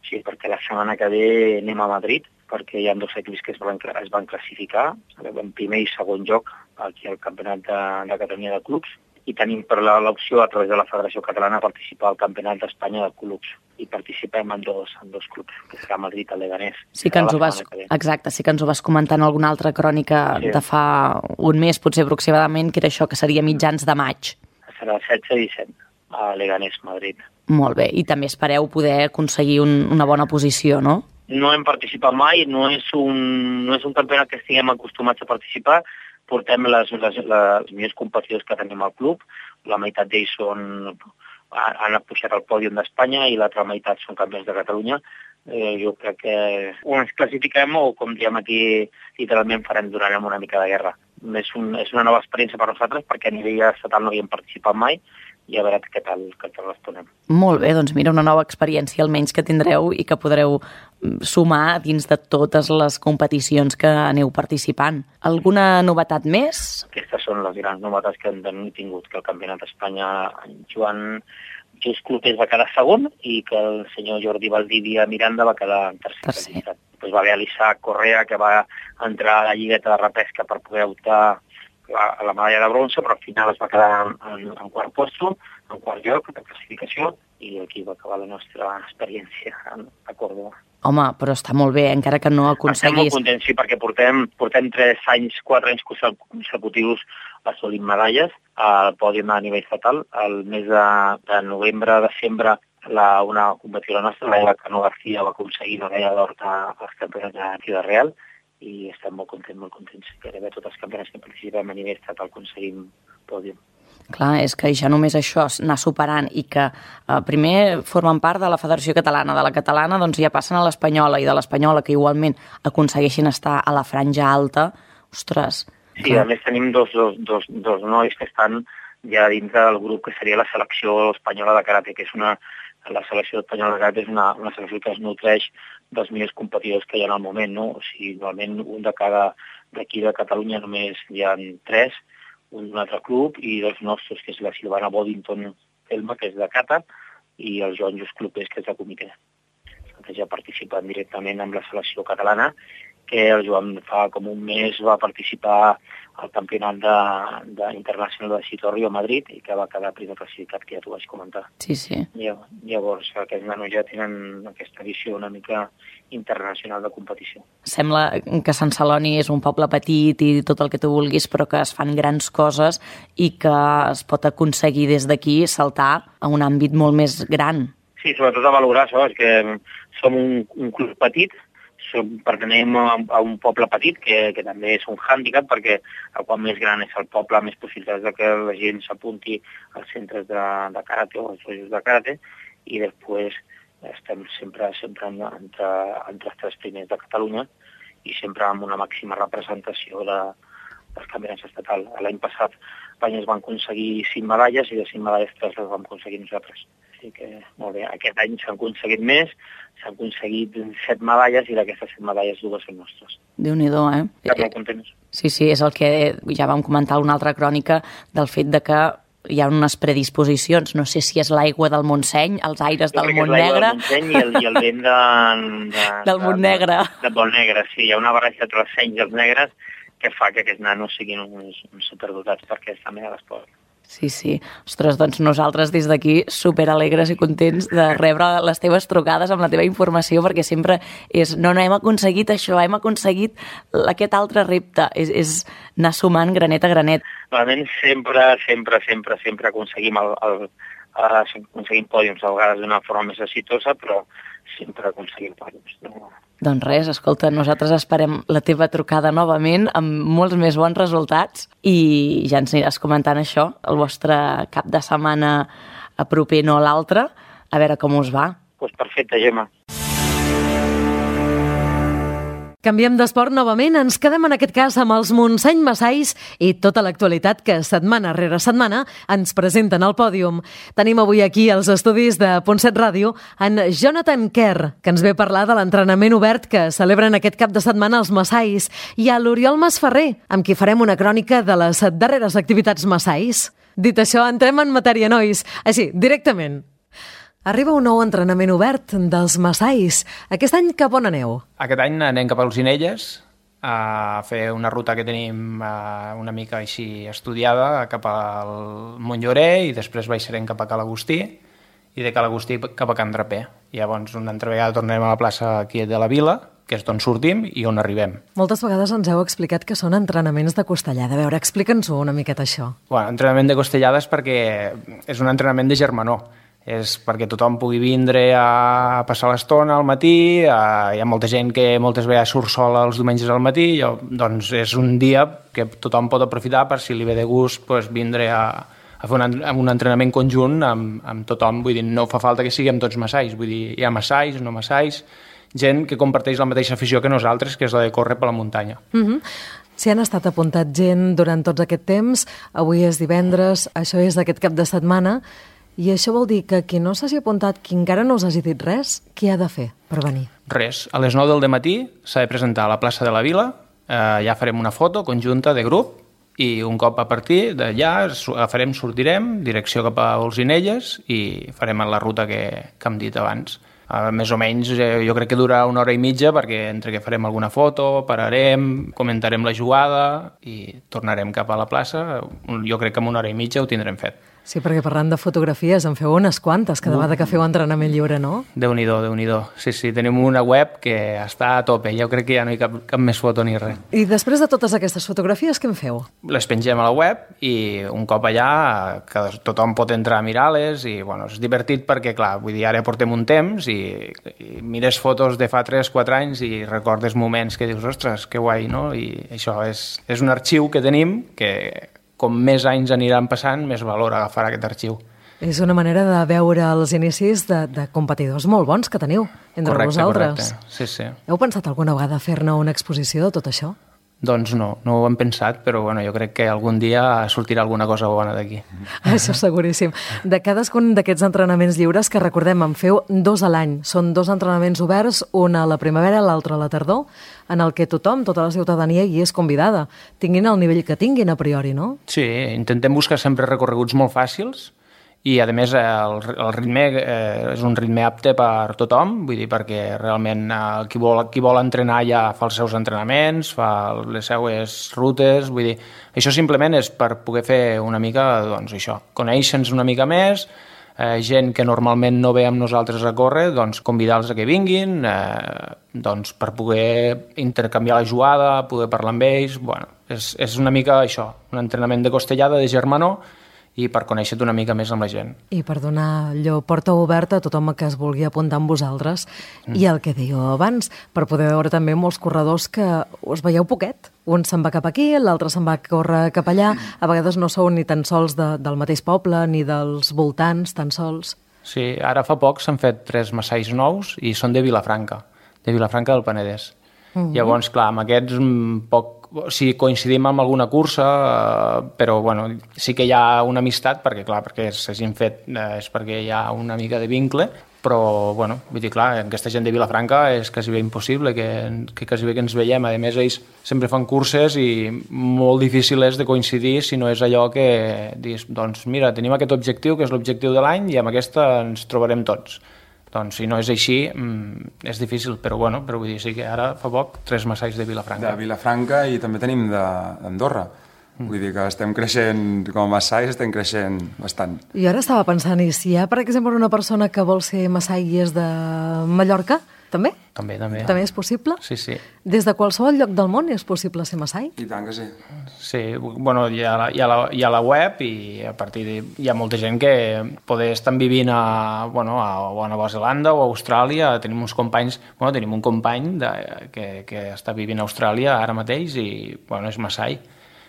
O sigui, perquè la setmana que ve anem a Madrid, perquè hi ha dos equips que es van, es van classificar, en primer i segon lloc, aquí al Campionat de, de Catalunya de Clubs, i tenim per l'opció a través de la Federació Catalana participar al Campionat d'Espanya de Clubs, i participem en dos, en dos clubs, que serà Madrid i Leganés. Sí que ens ho vas, exacte, sí que ens ho vas comentar en alguna altra crònica sí. de fa un mes, potser aproximadament, que era això, que seria mitjans de maig. Serà setze i disset, a Leganés, Madrid. Molt bé, i també espereu poder aconseguir un, una bona posició, no? No hem participat mai, no és un, no és un campionat que estiguem acostumats a participar, portem les, les, les millors competidors que tenim al club, la meitat d'ells són han pujat al pòdium d'Espanya i l'altra meitat són campions de Catalunya. Eh, jo crec que o ens classifiquem o, com diem aquí, literalment farem, donarem una mica de guerra. És, un, és una nova experiència per nosaltres perquè a nivell estatal no havíem participat mai i a veure què tal, què tal responem. Molt bé, doncs mira, una nova experiència almenys que tindreu i que podreu sumar dins de totes les competicions que aneu participant. Alguna novetat més? Aquestes són les grans novetats que hem tingut, que el Campionat d'Espanya, Joan Just Clopés va quedar segon i que el senyor Jordi Valdivia Miranda va quedar en tercer. tercer. Pues va haver l'Isaac Correa, que va entrar a la lligueta de repesca per poder optar a la medalla de bronze, però al final es va quedar en, en, en quart posto, en quart lloc de classificació, i aquí va acabar la nostra experiència a Córdoba. Home, però està molt bé, encara que no aconseguís... Estem molt contents, sí, perquè portem, portem tres anys, quatre anys consecutius assolint medalles al pòdium a nivell estatal. El mes de, de novembre, desembre, la, una competidora nostra, la Eva Cano García, va aconseguir la medalla d'or als campionats de Ciudad Real, i estem molt contents, molt contents. Gairebé tots els campionats que participem a nivell estatal aconseguim pòdium. Clar, és que ja només això, anar superant i que eh, primer formen part de la Federació Catalana, de la catalana doncs ja passen a l'espanyola i de l'espanyola que igualment aconsegueixin estar a la franja alta, ostres. Sí, clar. A més tenim dos, dos, dos, dos nois que estan ja dintre del grup que seria la selecció espanyola de karate, que és una, la selecció espanyola de karate és una, una selecció que es nutreix dels millors competidors que hi ha en el moment, no? O sigui, normalment un de cada, d'aquí de Catalunya només hi ha tres, un d'un altre club, i dos nostres, que és la Silvana Boddington Elma, que és de Cata, i el Joan Just Clopés, que és de comitè. Que ja participen directament amb la selecció catalana, que el Joan fa com un mes va participar al campionat de, de internacional de Sitorrio a Madrid i que va quedar primer classificat, que ja t'ho vaig comentar. Sí, sí. Llavors, aquests nanos ja tenen aquesta visió una mica internacional de competició. Sembla que Sant Celoni és un poble petit i tot el que tu vulguis, però que es fan grans coses i que es pot aconseguir des d'aquí saltar a un àmbit molt més gran. Sí, sobretot a valorar això, és que som un, un club petit, som, pertenem a, a un poble petit, que, que també és un hàndicap, perquè el qual més gran és el poble, més possibilitats de que la gent s'apunti als centres de, de karate o als dojo de karate, i després estem sempre, sempre entre, entre els tres primers de Catalunya i sempre amb una màxima representació de, dels campionats estatal. L'any passat Espanya es van aconseguir cinc medalles i de cinc medalles tres les vam aconseguir nosaltres. Així que, molt bé, aquest any s'han aconseguit més, s'han aconseguit set medalles i d'aquestes set medalles dues són nostres. Déu-n'hi-do, eh? Estem molt contents. Sí, sí, és el que ja vam comentar una altra crònica del fet de que hi ha unes predisposicions, no sé si és l'aigua del Montseny, els aires del Montnegre... Jo crec que és l'aigua del Montseny i el, i el vent de, de, del Montnegre. De, de Montnegre, sí, hi ha una barreja entre els senys i els negres que fa que aquests nanos siguin uns, uns superdotats per aquesta mena d'esport. Sí, sí. Ostres, doncs nosaltres des d'aquí superalegres i contents de rebre les teves trucades amb la teva informació, perquè sempre és, no, no, hem aconseguit això, hem aconseguit aquest altre repte, és, és anar sumant granet a granet. Realment sempre, sempre, sempre, sempre aconseguim, el, el, aconseguim pòdiums, a vegades d'una forma més exitosa, però sempre aconseguim pòdiums. No? Doncs res, escolta, nosaltres esperem la teva trucada novament amb molts més bons resultats i ja ens aniràs comentant això, el vostre cap de setmana a proper, no l'altre, a veure com us va. Doncs perfecte, Gemma. Canviem d'esport novament, ens quedem en aquest cas amb els Montseny Massais i tota l'actualitat que setmana rere setmana ens presenten al pòdium. Tenim avui aquí als estudis de Punt set Ràdio en Jonathan Kerr, que ens ve a parlar de l'entrenament obert que celebren aquest cap de setmana els Massais, i a l'Oriol Masferrer, amb qui farem una crònica de les darreres activitats Massais. Dit això, entrem en matèria, nois. Així, directament. Arriba un nou entrenament obert dels Massais. Aquest any cap on aneu? Aquest any anem cap a Olzinelles a fer una ruta que tenim una mica així estudiada cap al Montllorer i després baixarem cap a Cal Agustí i de Cal Agustí cap a Can Draper. Llavors una altra vegada tornarem a la plaça aquí de la Vila, que és d'on sortim i on arribem. Moltes vegades ens heu explicat que són entrenaments de costellada. A veure, explica'ns-ho una miqueta això. Bueno, entrenament de costellada és perquè és un entrenament de germanor. És perquè tothom pugui vindre a passar l'estona al matí, hi ha molta gent que moltes vegades surt sola els diumenges al matí, doncs és un dia que tothom pot aprofitar per si li ve de gust pues, vindre a, a a fer un, un entrenament conjunt amb, amb tothom, vull dir, no fa falta que siguem tots massais, vull dir, hi ha massais, no massais, gent que comparteix la mateixa afició que nosaltres, que és la de córrer per la muntanya. Mm-hmm. Si han estat apuntat gent durant tots aquest temps, avui és divendres, això és d'aquest cap de setmana, i això vol dir que qui no s'hagi apuntat, qui encara no us hagi dit res, què ha de fer per venir? Res. A les nou del matí s'ha de presentar a la plaça de la Vila, eh, ja farem una foto conjunta de grup i un cop a partir d'allà farem, sortirem, direcció cap a Olzinelles i farem la ruta que, que hem dit abans. Uh, més o menys eh, jo crec que durarà una hora i mitja perquè entre que farem alguna foto, pararem, comentarem la jugada i tornarem cap a la plaça. Jo crec que en una hora i mitja ho tindrem fet. Sí, perquè parlant de fotografies en feu unes quantes cada vegada que feu entrenament lliure, no? Déu-n'hi-do, Déu-n'hi-do. Sí, sí, tenim una web que està a tope. Jo crec que ja no hi ha cap, cap més foto ni res. I després de totes aquestes fotografies, què en feu? Les pengem a la web i un cop allà que tothom pot entrar a mirar-les i bueno, és divertit perquè, clar, vull dir, ara portem un temps i, i mires fotos de fa tres quatre anys i recordes moments que dius, ostres, que guai, no? I això és, és un arxiu que tenim que com més anys aniran passant, més valor agafarà aquest arxiu. És una manera de veure els inicis de, de competidors molt bons que teniu entre correcte, vosaltres. Correcte, sí, sí. Heu pensat alguna vegada fer-ne una exposició de tot això? Doncs no, no ho hem pensat, però bueno, jo crec que algun dia sortirà alguna cosa bona d'aquí. Això seguríssim. De cadascun d'aquests entrenaments lliures, que recordem, en feu dos a l'any. Són dos entrenaments oberts, un a la primavera, l'altre a la tardor, en el que tothom, tota la ciutadania hi és convidada. Tinguin el nivell que tinguin a priori, no? Sí, intentem buscar sempre recorreguts molt fàcils, i a més el, el ritme eh, és un ritme apte per tothom, vull dir, perquè realment eh, qui, vol, qui vol entrenar ja fa els seus entrenaments, fa les seues rutes, vull dir, això simplement és per poder fer una mica, doncs això, conèixer-nos una mica més, eh, gent que normalment no ve amb nosaltres a córrer, doncs convidar-los a que vinguin, eh, doncs per poder intercanviar la jugada, poder parlar amb ells, bueno, és, és una mica això, un entrenament de costellada, de germanor, i per conèixer-te una mica més amb la gent. I per donar allò porta oberta a tothom que es vulgui apuntar amb vosaltres. Mm. I el que dèieu abans, per poder veure també molts corredors que us veieu poquet. Un se'n va cap aquí, l'altre se'n va córrer cap allà. A vegades no sou ni tan sols de, del mateix poble, ni dels voltants, tan sols. Sí, ara fa poc s'han fet tres massais nous i són de Vilafranca, de Vilafranca del Penedès. Mm-hmm. Llavors, clar, amb aquests poc si coincidim amb alguna cursa, eh, però bueno, sí que hi ha una amistat, perquè clar, perquè s'hagin fet eh, és perquè hi ha una mica de vincle, però bueno, vull dir, clar, aquesta gent de Vilafranca és quasi bé impossible que, que quasi bé que ens veiem. A més, ells sempre fan curses i molt difícil és de coincidir si no és allò que dius, doncs mira, tenim aquest objectiu, que és l'objectiu de l'any, i amb aquesta ens trobarem tots. Doncs si no és així, és difícil, però bueno, però vull dir, sí que ara fa poc tres massais de Vilafranca. De Vilafranca i també tenim d'Andorra. Mm. Vull dir que estem creixent, com a massais estem creixent bastant. I ara estava pensant, i si hi ha, per exemple, una persona que vol ser massai i és de Mallorca, també? També, també. També és possible? Sí, sí. Des de qualsevol lloc del món és possible ser massai? I tant que sí. Sí, bueno, hi ha, la, hi ha, la, hi ha la web i a partir de, hi ha molta gent que poder estan vivint a, bueno, a, a Nova Zelanda o a Austràlia. Tenim uns companys, bueno, tenim un company de, que, que està vivint a Austràlia ara mateix i, bueno, és massai.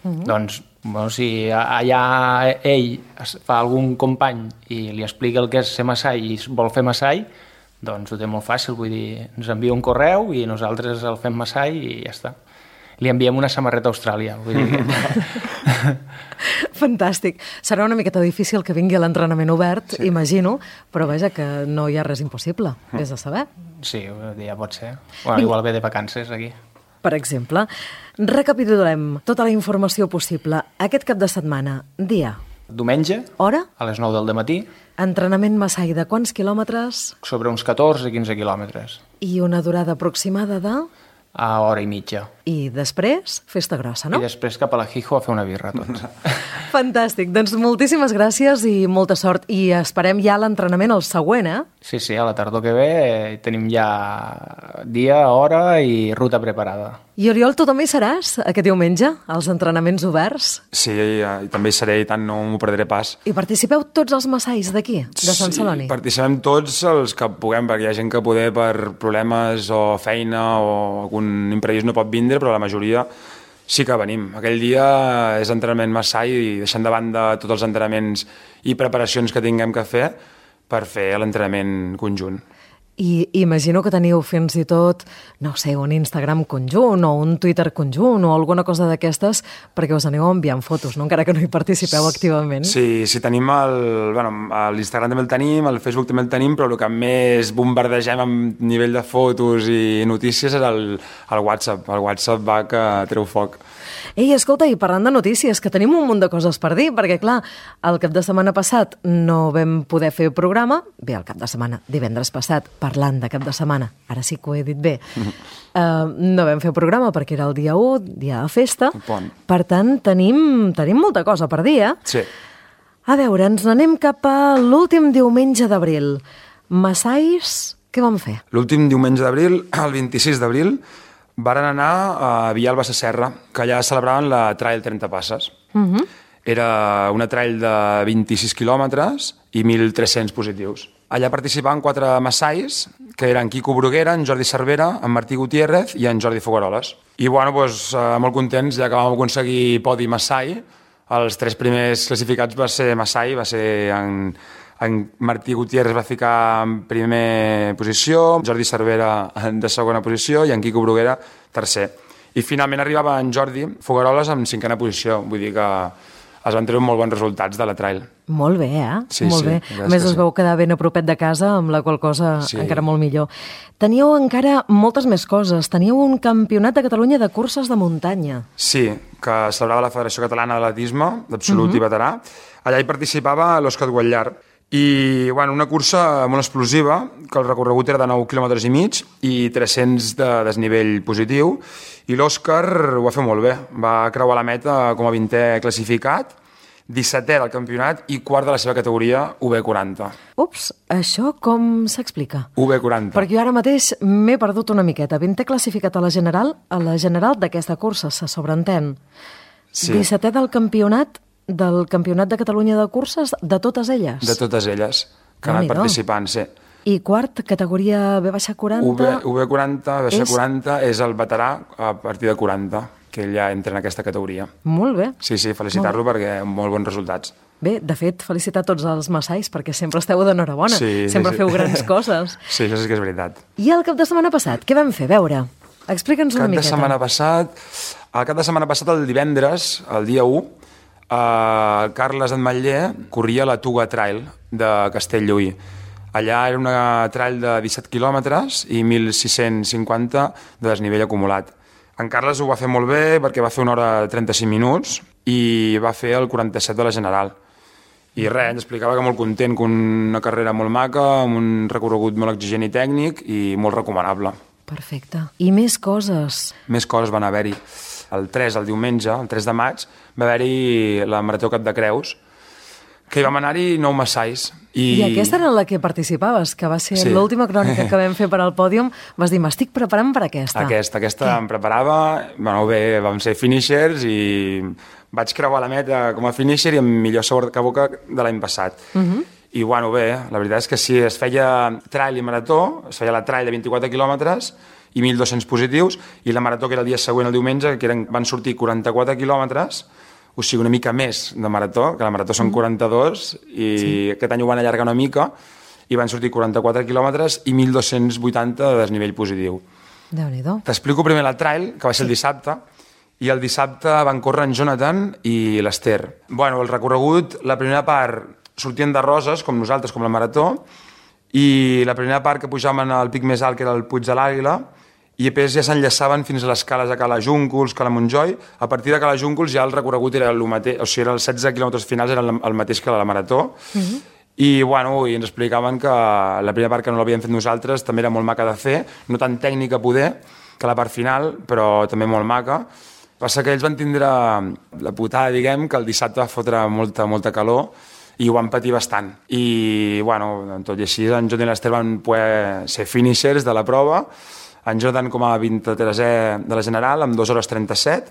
Mm-hmm. Doncs, bueno, si allà ell fa algun company i li explica el que és ser massai i vol fer massai, doncs ho té molt fàcil, vull dir, ens envia un correu i nosaltres el fem massai i ja està. Li enviem una samarreta a Austràlia, vull dir que... Fantàstic. Serà una miqueta difícil que vingui a l'entrenament obert, sí. Imagino, però vaja que no hi ha res impossible, vés a saber. Sí, ja pot ser. Bueno, igual ve de vacances aquí. Per exemple, recapitulem tota la informació possible. Aquest cap de setmana, dia... Diumenge, hora? A les nou del matí. Entrenament massai de quants quilòmetres? Sobre uns catorze a quinze quilòmetres. I una durada aproximada de... A hora i mitja. I després, festa grossa, no? I després cap a la Hijo a fer una birra tots. Fantàstic. Doncs moltíssimes gràcies i molta sort. I esperem ja l'entrenament el següent, eh? Sí, sí, a la tardor que ve eh, tenim ja dia, hora i ruta preparada. I Oriol, tu també hi seràs aquest diumenge, als entrenaments oberts? Sí, i, i també hi seré i tant no m'ho perdré pas. I participeu tots els massais d'aquí, de Sant Celoni? Sí, participem tots els que puguem, perquè hi ha gent que poder per problemes o feina o algun imprevist no pot vindre, però la majoria Sí que venim. Aquell dia és entrenament Maasai i deixant de banda tots els entrenaments i preparacions que tinguem que fer per fer l'entrenament conjunt. I imagino que teniu fins i tot, no sé, un Instagram conjunt o un Twitter conjunt o alguna cosa d'aquestes perquè us aneu enviant fotos, no? Encara que no hi participeu activament. Sí, sí, tenim el... Bueno, l'Instagram també el tenim, el Facebook també el tenim, però el que més bombardegem a nivell de fotos i notícies és el, el WhatsApp. El WhatsApp va que treu foc. Ei, escolta, i parlant de notícies, que tenim un munt de coses per dir, perquè, clar, el cap de setmana passat no vam poder fer programa, bé, el cap de setmana, divendres passat, parlant de cap de setmana, ara sí que ho he dit bé, uh, no vam fer programa perquè era el dia u, dia de festa, per tant, tenim, tenim molta cosa per dir, eh? Sí. A veure, ens n'anem cap a l'últim diumenge d'abril. Maasais, què vam fer? L'últim diumenge d'abril, el vint-i-sis d'abril, varen anar a Vilalba Sasserra, que allà celebraven la Trail trenta Passes. Uh-huh. Era una trail de vint-i-sis quilòmetres i mil tres-cents positius. Allà participaven quatre maasais, que eren Quico Bruguera, en Jordi Cervera, en Martí Gutiérrez i en Jordi Fogaroles. I, bueno, doncs, molt contents, ja que vam aconseguir podi maasai. Els tres primers classificats va ser maasai, va ser en... En Martí Gutiérrez va ficar en primera posició, Jordi Cervera de segona posició i en Quico Bruguera tercer. I finalment arribava en Jordi Fogaroles en cinquena posició, vull dir que es van treure molt bons resultats de la trail. Molt bé, eh? Sí, molt sí, bé. A més, us sí. veu quedar ben a propet de casa, amb la qual cosa sí. encara molt millor. Teníeu encara moltes més coses. Teníeu un campionat de Catalunya de curses de muntanya. Sí, que celebrava la Federació Catalana d'Atletisme, d'absolut uh-huh. i veterà. Allà hi participava l'Òscar Guallar. I, bueno, una cursa molt explosiva, que el recorregut era de nou quilòmetres i mig i tres-cents de desnivell positiu, i l'Òscar ho va fer molt bé. Va creuar la meta com a vintè classificat, dissetè del campionat i quart de la seva categoria, U B quaranta. Ups, això com s'explica? U B quaranta. Perquè jo ara mateix m'he perdut una miqueta. vintè classificat a la general, a la general d'aquesta cursa, se sobreentén. Sí. dissetè del campionat, del Campionat de Catalunya de curses, de totes elles? De totes elles, que han anat participant, sí. I quart, categoria B baixa quaranta? U B quaranta, B baixa quaranta, és el veterà a partir de quaranta, que ell ja entra en aquesta categoria. Molt bé. Sí, sí, felicitar-lo perquè molt bons resultats. Bé, de fet, felicitar tots els maasais, perquè sempre esteu d'enhorabona, sí, sempre sí, feu sí. grans coses. Sí, això sí que és veritat. I el cap de setmana passat, què vam fer? A veure, explica'ns una miqueta. Cap de setmana passat, el cap de setmana passat, el divendres, el dia u, el Carles Ametller corria la Tuga Trail de Castelllluí. Allà era una trail de disset quilòmetres i mil sis-cents cinquanta de desnivell acumulat. En Carles ho va fer molt bé perquè va fer una hora trenta-cinc minuts i va fer el quaranta-set de la general. I res, ens explicava que molt content, que una carrera molt maca, amb un recorregut molt exigent i tècnic i molt recomanable. Perfecte. I més coses? Més coses van haver-hi. El tres, el diumenge, el tres de maig, va haver-hi la Marató Cap de Creus, que hi vam anar-hi nou maasais. I... I aquesta era la que participaves, que va ser sí. l'última crònica que vam fer per al pòdium. Vas dir, m'estic preparant per aquesta. Aquesta, aquesta em preparava. Bueno, bé, vam ser finishers i vaig creuar la meta com a finisher i amb millor sabor que boca de l'any passat. Uh-huh. I, bueno, bé, la veritat és que sí, es feia trail i marató, es feia la trail de vint-i-quatre quilòmetres i mil dos-cents positius, i la marató, que era el dia següent, el diumenge, que eren, van sortir quaranta-quatre quilòmetres, o sigui, una mica més de marató, que la marató són quaranta-dos, i sí. aquest any ho van allargar una mica, i van sortir quaranta-quatre quilòmetres i mil dos-cents vuitanta de desnivell positiu. Déu-n'hi-do. T'explico primer la trail, que va ser el dissabte, i el dissabte van córrer en Jonathan i l'Ester. Bueno, el recorregut, la primera part sortien de Roses, com nosaltres, com la marató, i la primera part que pujaven al pic més alt, que era el Puig de l'Àguila, i després ja s'enllaçaven fins a les cales de Cala Júncols, Cala Montjoi. A partir de Cala Júncols ja el recorregut era el mateix, o sigui, els setze quilòmetres finals eren el mateix que la marató. Uh-huh. I, bueno, i ens explicaven que la primera part, que no l'havíem fet nosaltres, també era molt maca de fer, no tan tècnica poder, que la part final, però també molt maca. Passa que ells van tindre la putada, diguem, que el dissabte va fotre molta, molta calor, i ho van patir bastant. I, bueno, tot i així, en Jonathan i l'Ester van poder ser finishers de la prova, en Jordan com a vint-i-tresè de la general, amb dues hores trenta-set,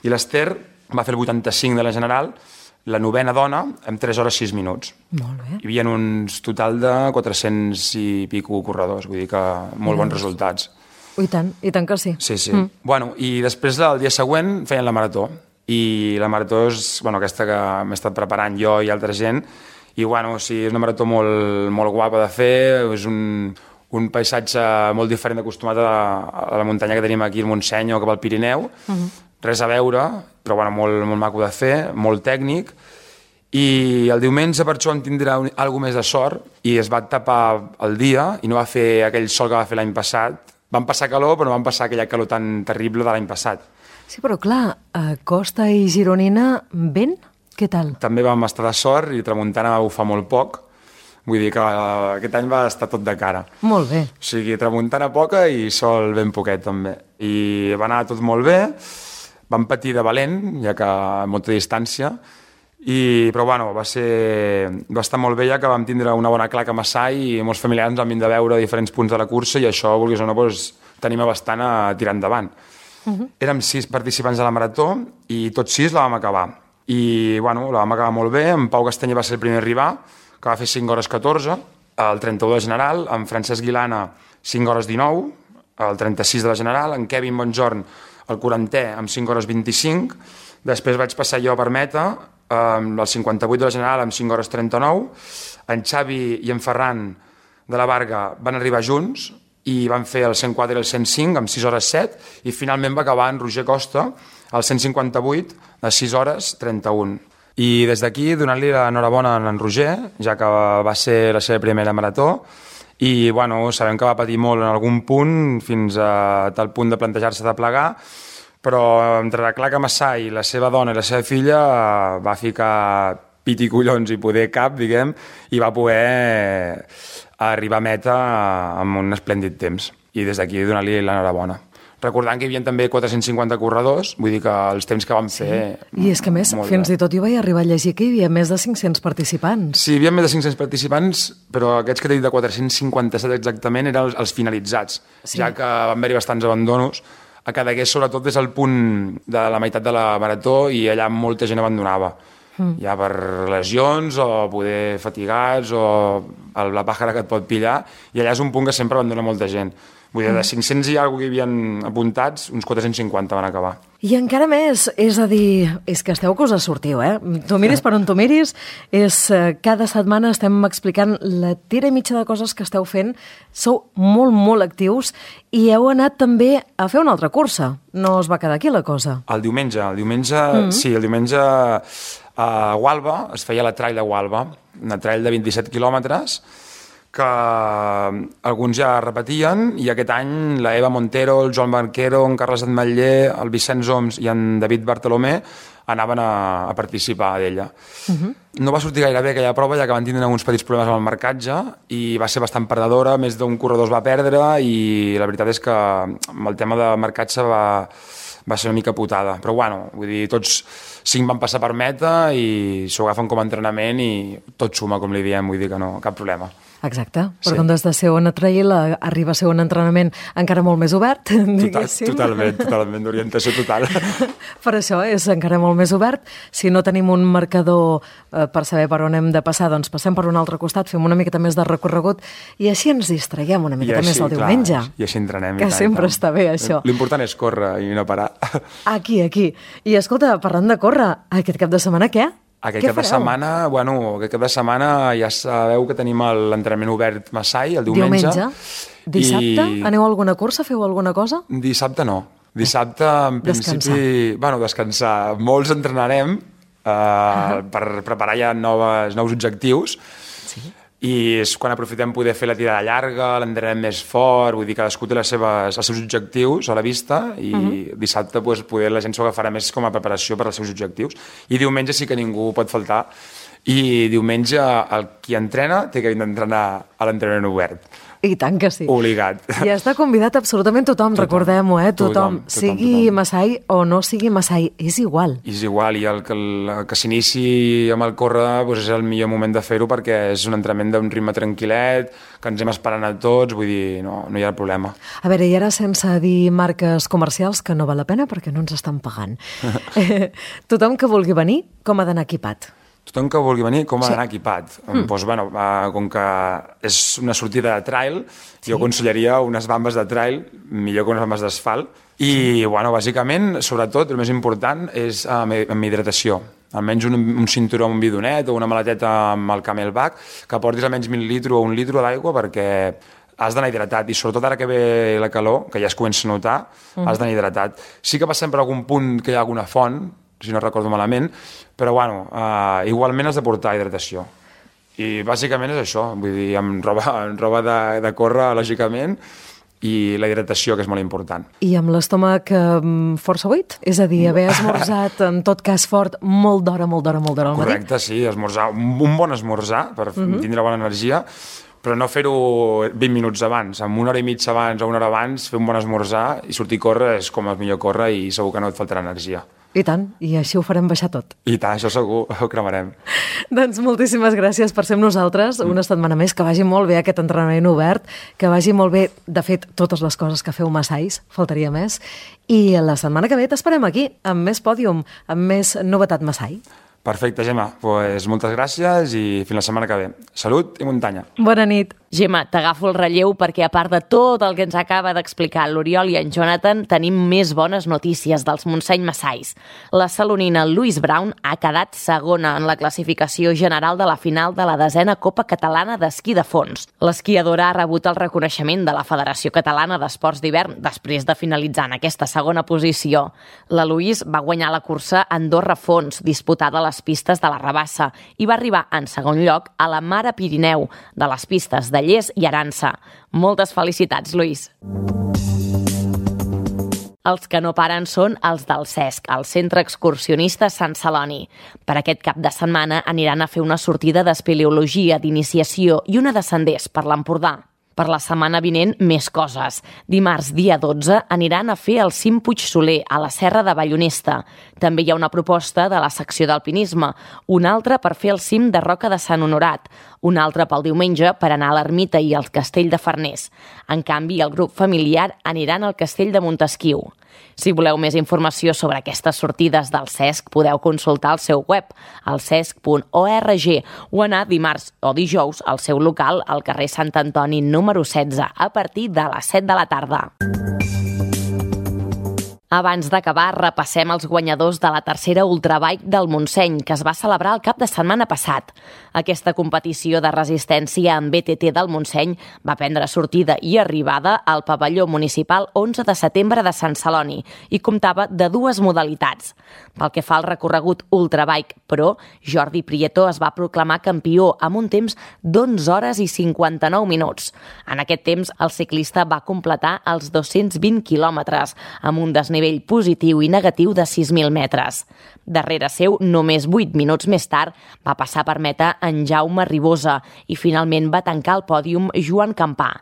i l'Ester va fer el vuitanta-cinc de la general, la novena dona, amb tres hores sis minuts. Molt bé. Hi havia uns total de quatre-cents i pico corredors, vull dir que molt bons resultats. I tant, i tant que sí. Sí, sí. Mm. Bueno, i després el dia següent feien la marató. I la marató és, bueno, aquesta que m'he estat preparant jo i altra gent. I, bueno, sí, és una marató molt, molt guapa de fer, és un, un paisatge molt diferent acostumat a, a la muntanya que tenim aquí al Montseny o cap al Pirineu. Mm-hmm. Res a veure, però, bueno, molt, molt maco de fer, molt tècnic. I el diumenge per això vam tindre alguna més de sort i es va tapar el dia i no va fer aquell sol que va fer l'any passat. Vam passar calor, però no vam passar aquella calor tan terrible de l'any passat. Sí, però clar, a Costa i Gironina, vent? Què tal? També vam estar de sort i tramuntana va bufar molt poc. Vull dir que aquest any va estar tot de cara. Molt bé. O sigui, tramuntana poca i sol ben poquet, també. I va anar tot molt bé. Vam patir de valent, ja que a molta distància. I, però bueno, va, ser, va estar molt bé ja que vam tindre una bona claca a Massai i molts familiars ens van vindre a veure diferents punts de la cursa i això, vulguis o no, doncs, t'anima bastant a tirar endavant. Uh-huh. Érem sis participants de la marató i tots sis la vam acabar. I bueno, la vam acabar molt bé, en Pau Castanyer va ser el primer a arribar, que va fer cinc hores catorze, el trenta-u de general, en Francesc Guilana cinc hores dinou, el trenta-sis de la general, en Kevin Bonjorn el quarantè amb cinc hores vint-i-cinc, després vaig passar jo per meta, amb el cinquanta-vuit de la general amb cinc hores trenta-nou, en Xavi i en Ferran de la Varga van arribar junts i van fer el cent quatre i el cent cinc amb sis hores set i finalment va acabar en Roger Costa el cent cinquanta-vuit a sis hores trenta-un. I des d'aquí donar-li l'enhorabona a en Roger, ja que va ser la seva primera marató i bueno, sabem que va patir molt en algun punt fins a tal punt de plantejar-se de plegar, però entre la Claca Massai, la seva dona i la seva filla va ficar pit i collons i poder cap, diguem, i va poder arribar a meta amb un esplèndid temps. I des d'aquí donar-li l'enhorabona. Recordant que hi havia també quatre-cents cinquanta corredors, vull dir que els temps que vam fer... Sí. I és que a més, fins bé. I tot jo vaig arribar a llegir que hi havia més de cinc-cents participants. Sí, hi havia més de cinc-cents participants, però aquests que t'he dit de quatre-cents cinquanta-set exactament eren els, els finalitzats, sí. Ja que van haver-hi bastants abandonos. A Cadaqués, sobretot, és el punt de la meitat de la marató i allà molta gent abandonava. Mm. Ja per lesions o poder fatigats o la pàjara que et pot pillar, i allà és un punt que sempre abandona molta gent. Vull dir, de cinc-cents i alguna cosa que hi havien apuntats, uns quatre-cents cinquanta van acabar. I encara més, és a dir, és que esteu que us sortiu, eh? Tu miris per on tu miris, és, cada setmana estem explicant la tira i mitja de coses que esteu fent, sou molt, molt actius i heu anat també a fer una altra cursa. No us va quedar aquí la cosa. El diumenge, el diumenge, mm-hmm. sí, el diumenge a Gualba, es feia la trail de Gualba, una trail de vint-i-set quilòmetres, que alguns ja repetien, i aquest any la Eva Montero, el Joan Barquero, en Carles Atmetller, el Vicenç Oms i en David Bartolomé anaven a, a participar d'ella. Uh-huh. No va sortir gaire bé aquella prova, ja que van tindre uns petits problemes amb el marcatge i va ser bastant perdedora, més d'un corredor es va perdre i la veritat és que amb el tema de marcatge va, va ser una mica putada. Però bueno, vull dir, tots cinc van passar per meta i s'ho agafen com a entrenament i tot suma, com li diem, vull dir que no, cap problema. Exacte, però sí. Quan des de ser una trail arriba a ser un entrenament encara molt més obert, diguéssim. Total, totalment, totalment, d'orientació total. Per això és encara molt més obert. Si no tenim un marcador eh, per saber per on hem de passar, doncs passem per un altre costat, fem una miqueta més de recorregut i així ens distraiem una miqueta així, més el diumenge. Clar, I així entrenem. Que i tant, sempre tant. Està bé, això. L'important és córrer i no parar. Aquí, aquí. I escolta, parlant de córrer, aquest cap de setmana què? Aquest cap de setmana, bueno, aquest cap de setmana ja sabeu que tenim l'entrenament obert Massai, el diumenge. Diumenge. Dissabte? I... Aneu a alguna cursa? Feu alguna cosa? Dissabte no. Dissabte, en principi... Descansar. Bueno, descansar. Molts entrenarem eh, uh-huh. per preparar ja noves, nous objectius. Sí. I és quan aprofitem poder fer la tirada llarga, l'entrenem més fort, vull dir, cadascú té les seves, els seus objectius a la vista i uh-huh. dissabte pues, poder la gent s'ho agafarà més com a preparació per als seus objectius. I diumenge sí que ningú pot faltar i diumenge el qui entrena té que entrenar a l'entrenament obert. I tant que sí. Obligat. I està convidat absolutament tothom, tothom. Recordem-ho, eh? Tothom, tothom, tothom sigui tothom. Massai o no sigui Massai, és igual. És igual, i el que, el, que s'inici amb el córrer doncs és el millor moment de fer-ho perquè és un entrenament d'un ritme tranquil·let, que ens hem esperant a tots, vull dir, no, no hi ha problema. A veure, i ara sense dir marques comercials, que no val la pena perquè no ens estan pagant. Tothom que vulgui venir, com ha d'anar equipat? tothom que vulgui venir, com ha d'anar equipat? Mm. Doncs, bueno, uh, com que és una sortida de trail, sí. jo aconsellaria unes bambes de trail, millor que unes bambes d'asfalt. I, sí. bueno, bàsicament, sobretot, el més important és uh, amb hidratació. Almenys un, un cinturó amb un bidonet o una maleteta amb el Camelback, que portis almenys mil litres o un litre d'aigua perquè has d'anar hidratat, i sobretot ara que ve la calor, que ja es comença a notar, mm. has d'anar hidratat. Sí que passem per algun punt que hi ha alguna font, si no recordo malament, però bueno, uh, igualment has de portar hidratació. I bàsicament és això, vull dir, amb roba, amb roba de, de córrer, lògicament, i la hidratació, que és molt important. I amb l'estómac um, força buit? És a dir, haver esmorzat, en tot cas fort, molt d'hora, molt d'hora, molt d'hora al matí? Correcte, sí, esmorzar, un bon esmorzar, per uh-huh. tindre bona energia, però no fer-ho vint minuts abans. Amb una hora i mitja abans o una hora abans, fer un bon esmorzar i sortir a córrer és com el millor córrer i segur que no et faltarà energia. I tant, i així ho farem baixar tot. I tant, això segur, ho cremarem. Doncs moltíssimes gràcies per ser amb nosaltres una setmana més, que vagi molt bé aquest entrenament obert, que vagi molt bé, de fet, totes les coses que feu Massais, faltaria més, i la setmana que ve t'esperem aquí, amb més pòdium, amb més novetat Massai. Perfecte, Gemma. Pues moltes gràcies i fins la setmana que ve. Salut i muntanya. Bona nit. Gemma, t'agafo el relleu perquè a part de tot el que ens acaba d'explicar l'Oriol i en Jonathan, tenim més bones notícies dels Montseny Massais. La salonina Louise Brown ha quedat segona en la classificació general de la final de la desena Copa Catalana d'Esquí de Fons. L'esquiadora ha rebut el reconeixement de la Federació Catalana d'Esports d'Hivern després de finalitzar en aquesta segona posició. La Louise va guanyar la cursa Andorra Fons, disputada a les pistes de la Rabassa, i va arribar en segon lloc a la Mare Pirineu, de les pistes de Lles i Arança. Moltes felicitats, Lluís. Els que no paren són els del CESC, el Centre Excursionista Sant Celoni. Per aquest cap de setmana aniran a fer una sortida d'espeleologia, d'iniciació i una de senders per l'Empordà. Per la setmana vinent, més coses. Dimarts, dia dotze, aniran a fer el cim Puig Soler, a la Serra de Ballonesta. També hi ha una proposta de la secció d'alpinisme, una altra per fer el cim de Roca de Sant Honorat, una altra pel diumenge per anar a l'Ermita i al Castell de Farners. En canvi, el grup familiar aniran al Castell de Montesquiu. Si voleu més informació sobre aquestes sortides del CESC, podeu consultar el seu web, el cesc punt org, o anar dimarts o dijous al seu local al carrer Sant Antoni número setze, a partir de les set de la tarda. Abans d'acabar, repassem els guanyadors de la tercera Ultrabike del Montseny, que es va celebrar el cap de setmana passat. Aquesta competició de resistència en B T T del Montseny va prendre sortida i arribada al pavelló municipal onze de setembre de Sant Celoni i comptava de dues modalitats. Pel que fa al recorregut Ultrabike Pro, Jordi Prieto es va proclamar campió amb un temps d'onze hores i cinquanta-nou minuts. En aquest temps, el ciclista va completar els dos-cents vint quilòmetres, amb un desnivell positiu i negatiu de sis mil metres. Darrere seu, només vuit minuts més tard, va passar per meta en Jaume Ribosa i finalment va tancar el pòdium Joan Campà.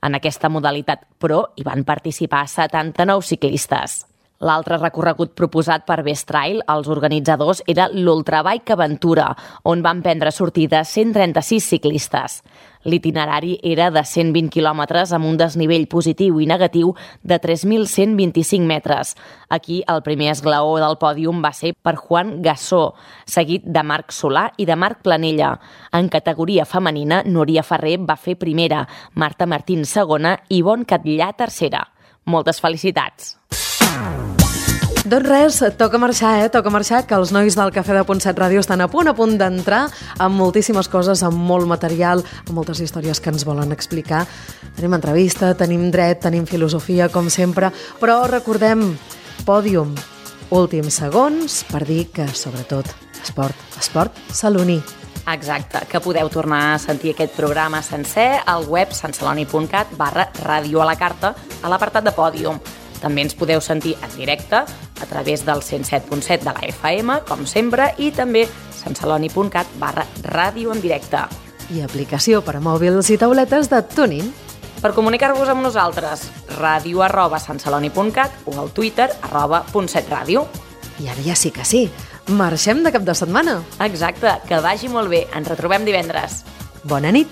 En aquesta modalitat Pro hi van participar setanta-nou ciclistes. L'altre recorregut proposat per Best Trail, els organitzadors, era l'Ultrabike Aventura, on van prendre sortida cent trenta-sis ciclistes. L'itinerari era de cent vint quilòmetres amb un desnivell positiu i negatiu de tres mil cent vint-i-cinc metres. Aquí el primer esglaó del pòdium va ser per Juan Gassó, seguit de Marc Solà i de Marc Planella. En categoria femenina, Núria Ferrer va fer primera, Marta Martín segona i Ivonne Catllà tercera. Moltes felicitats! Doncs res, toca marxar, eh? Toca marxar, que els nois del Cafè de Punt set Ràdio estan a punt, a punt d'entrar amb moltíssimes coses, amb molt material, amb moltes històries que ens volen explicar. Tenim entrevista, tenim dret, tenim filosofia, com sempre, però recordem, pòdium, últims segons, per dir que, sobretot, esport, esport saloní. Exacte, que podeu tornar a sentir aquest programa sencer al web santceloni punt cat barra ràdio a la carta a l'apartat de pòdium. També ens podeu sentir en directe a través del cent set punt set de la F M, com sempre, i també santceloni punt cat barra ràdio en directe. I aplicació per a mòbils i tauletes de TuneIn. Per comunicar-vos amb nosaltres, ràdio arroba santceloni punt cat o al Twitter arroba punt set ràdio. I ara ja sí que sí, marxem de cap de setmana. Exacte, que vagi molt bé. Ens retrobem divendres. Bona nit.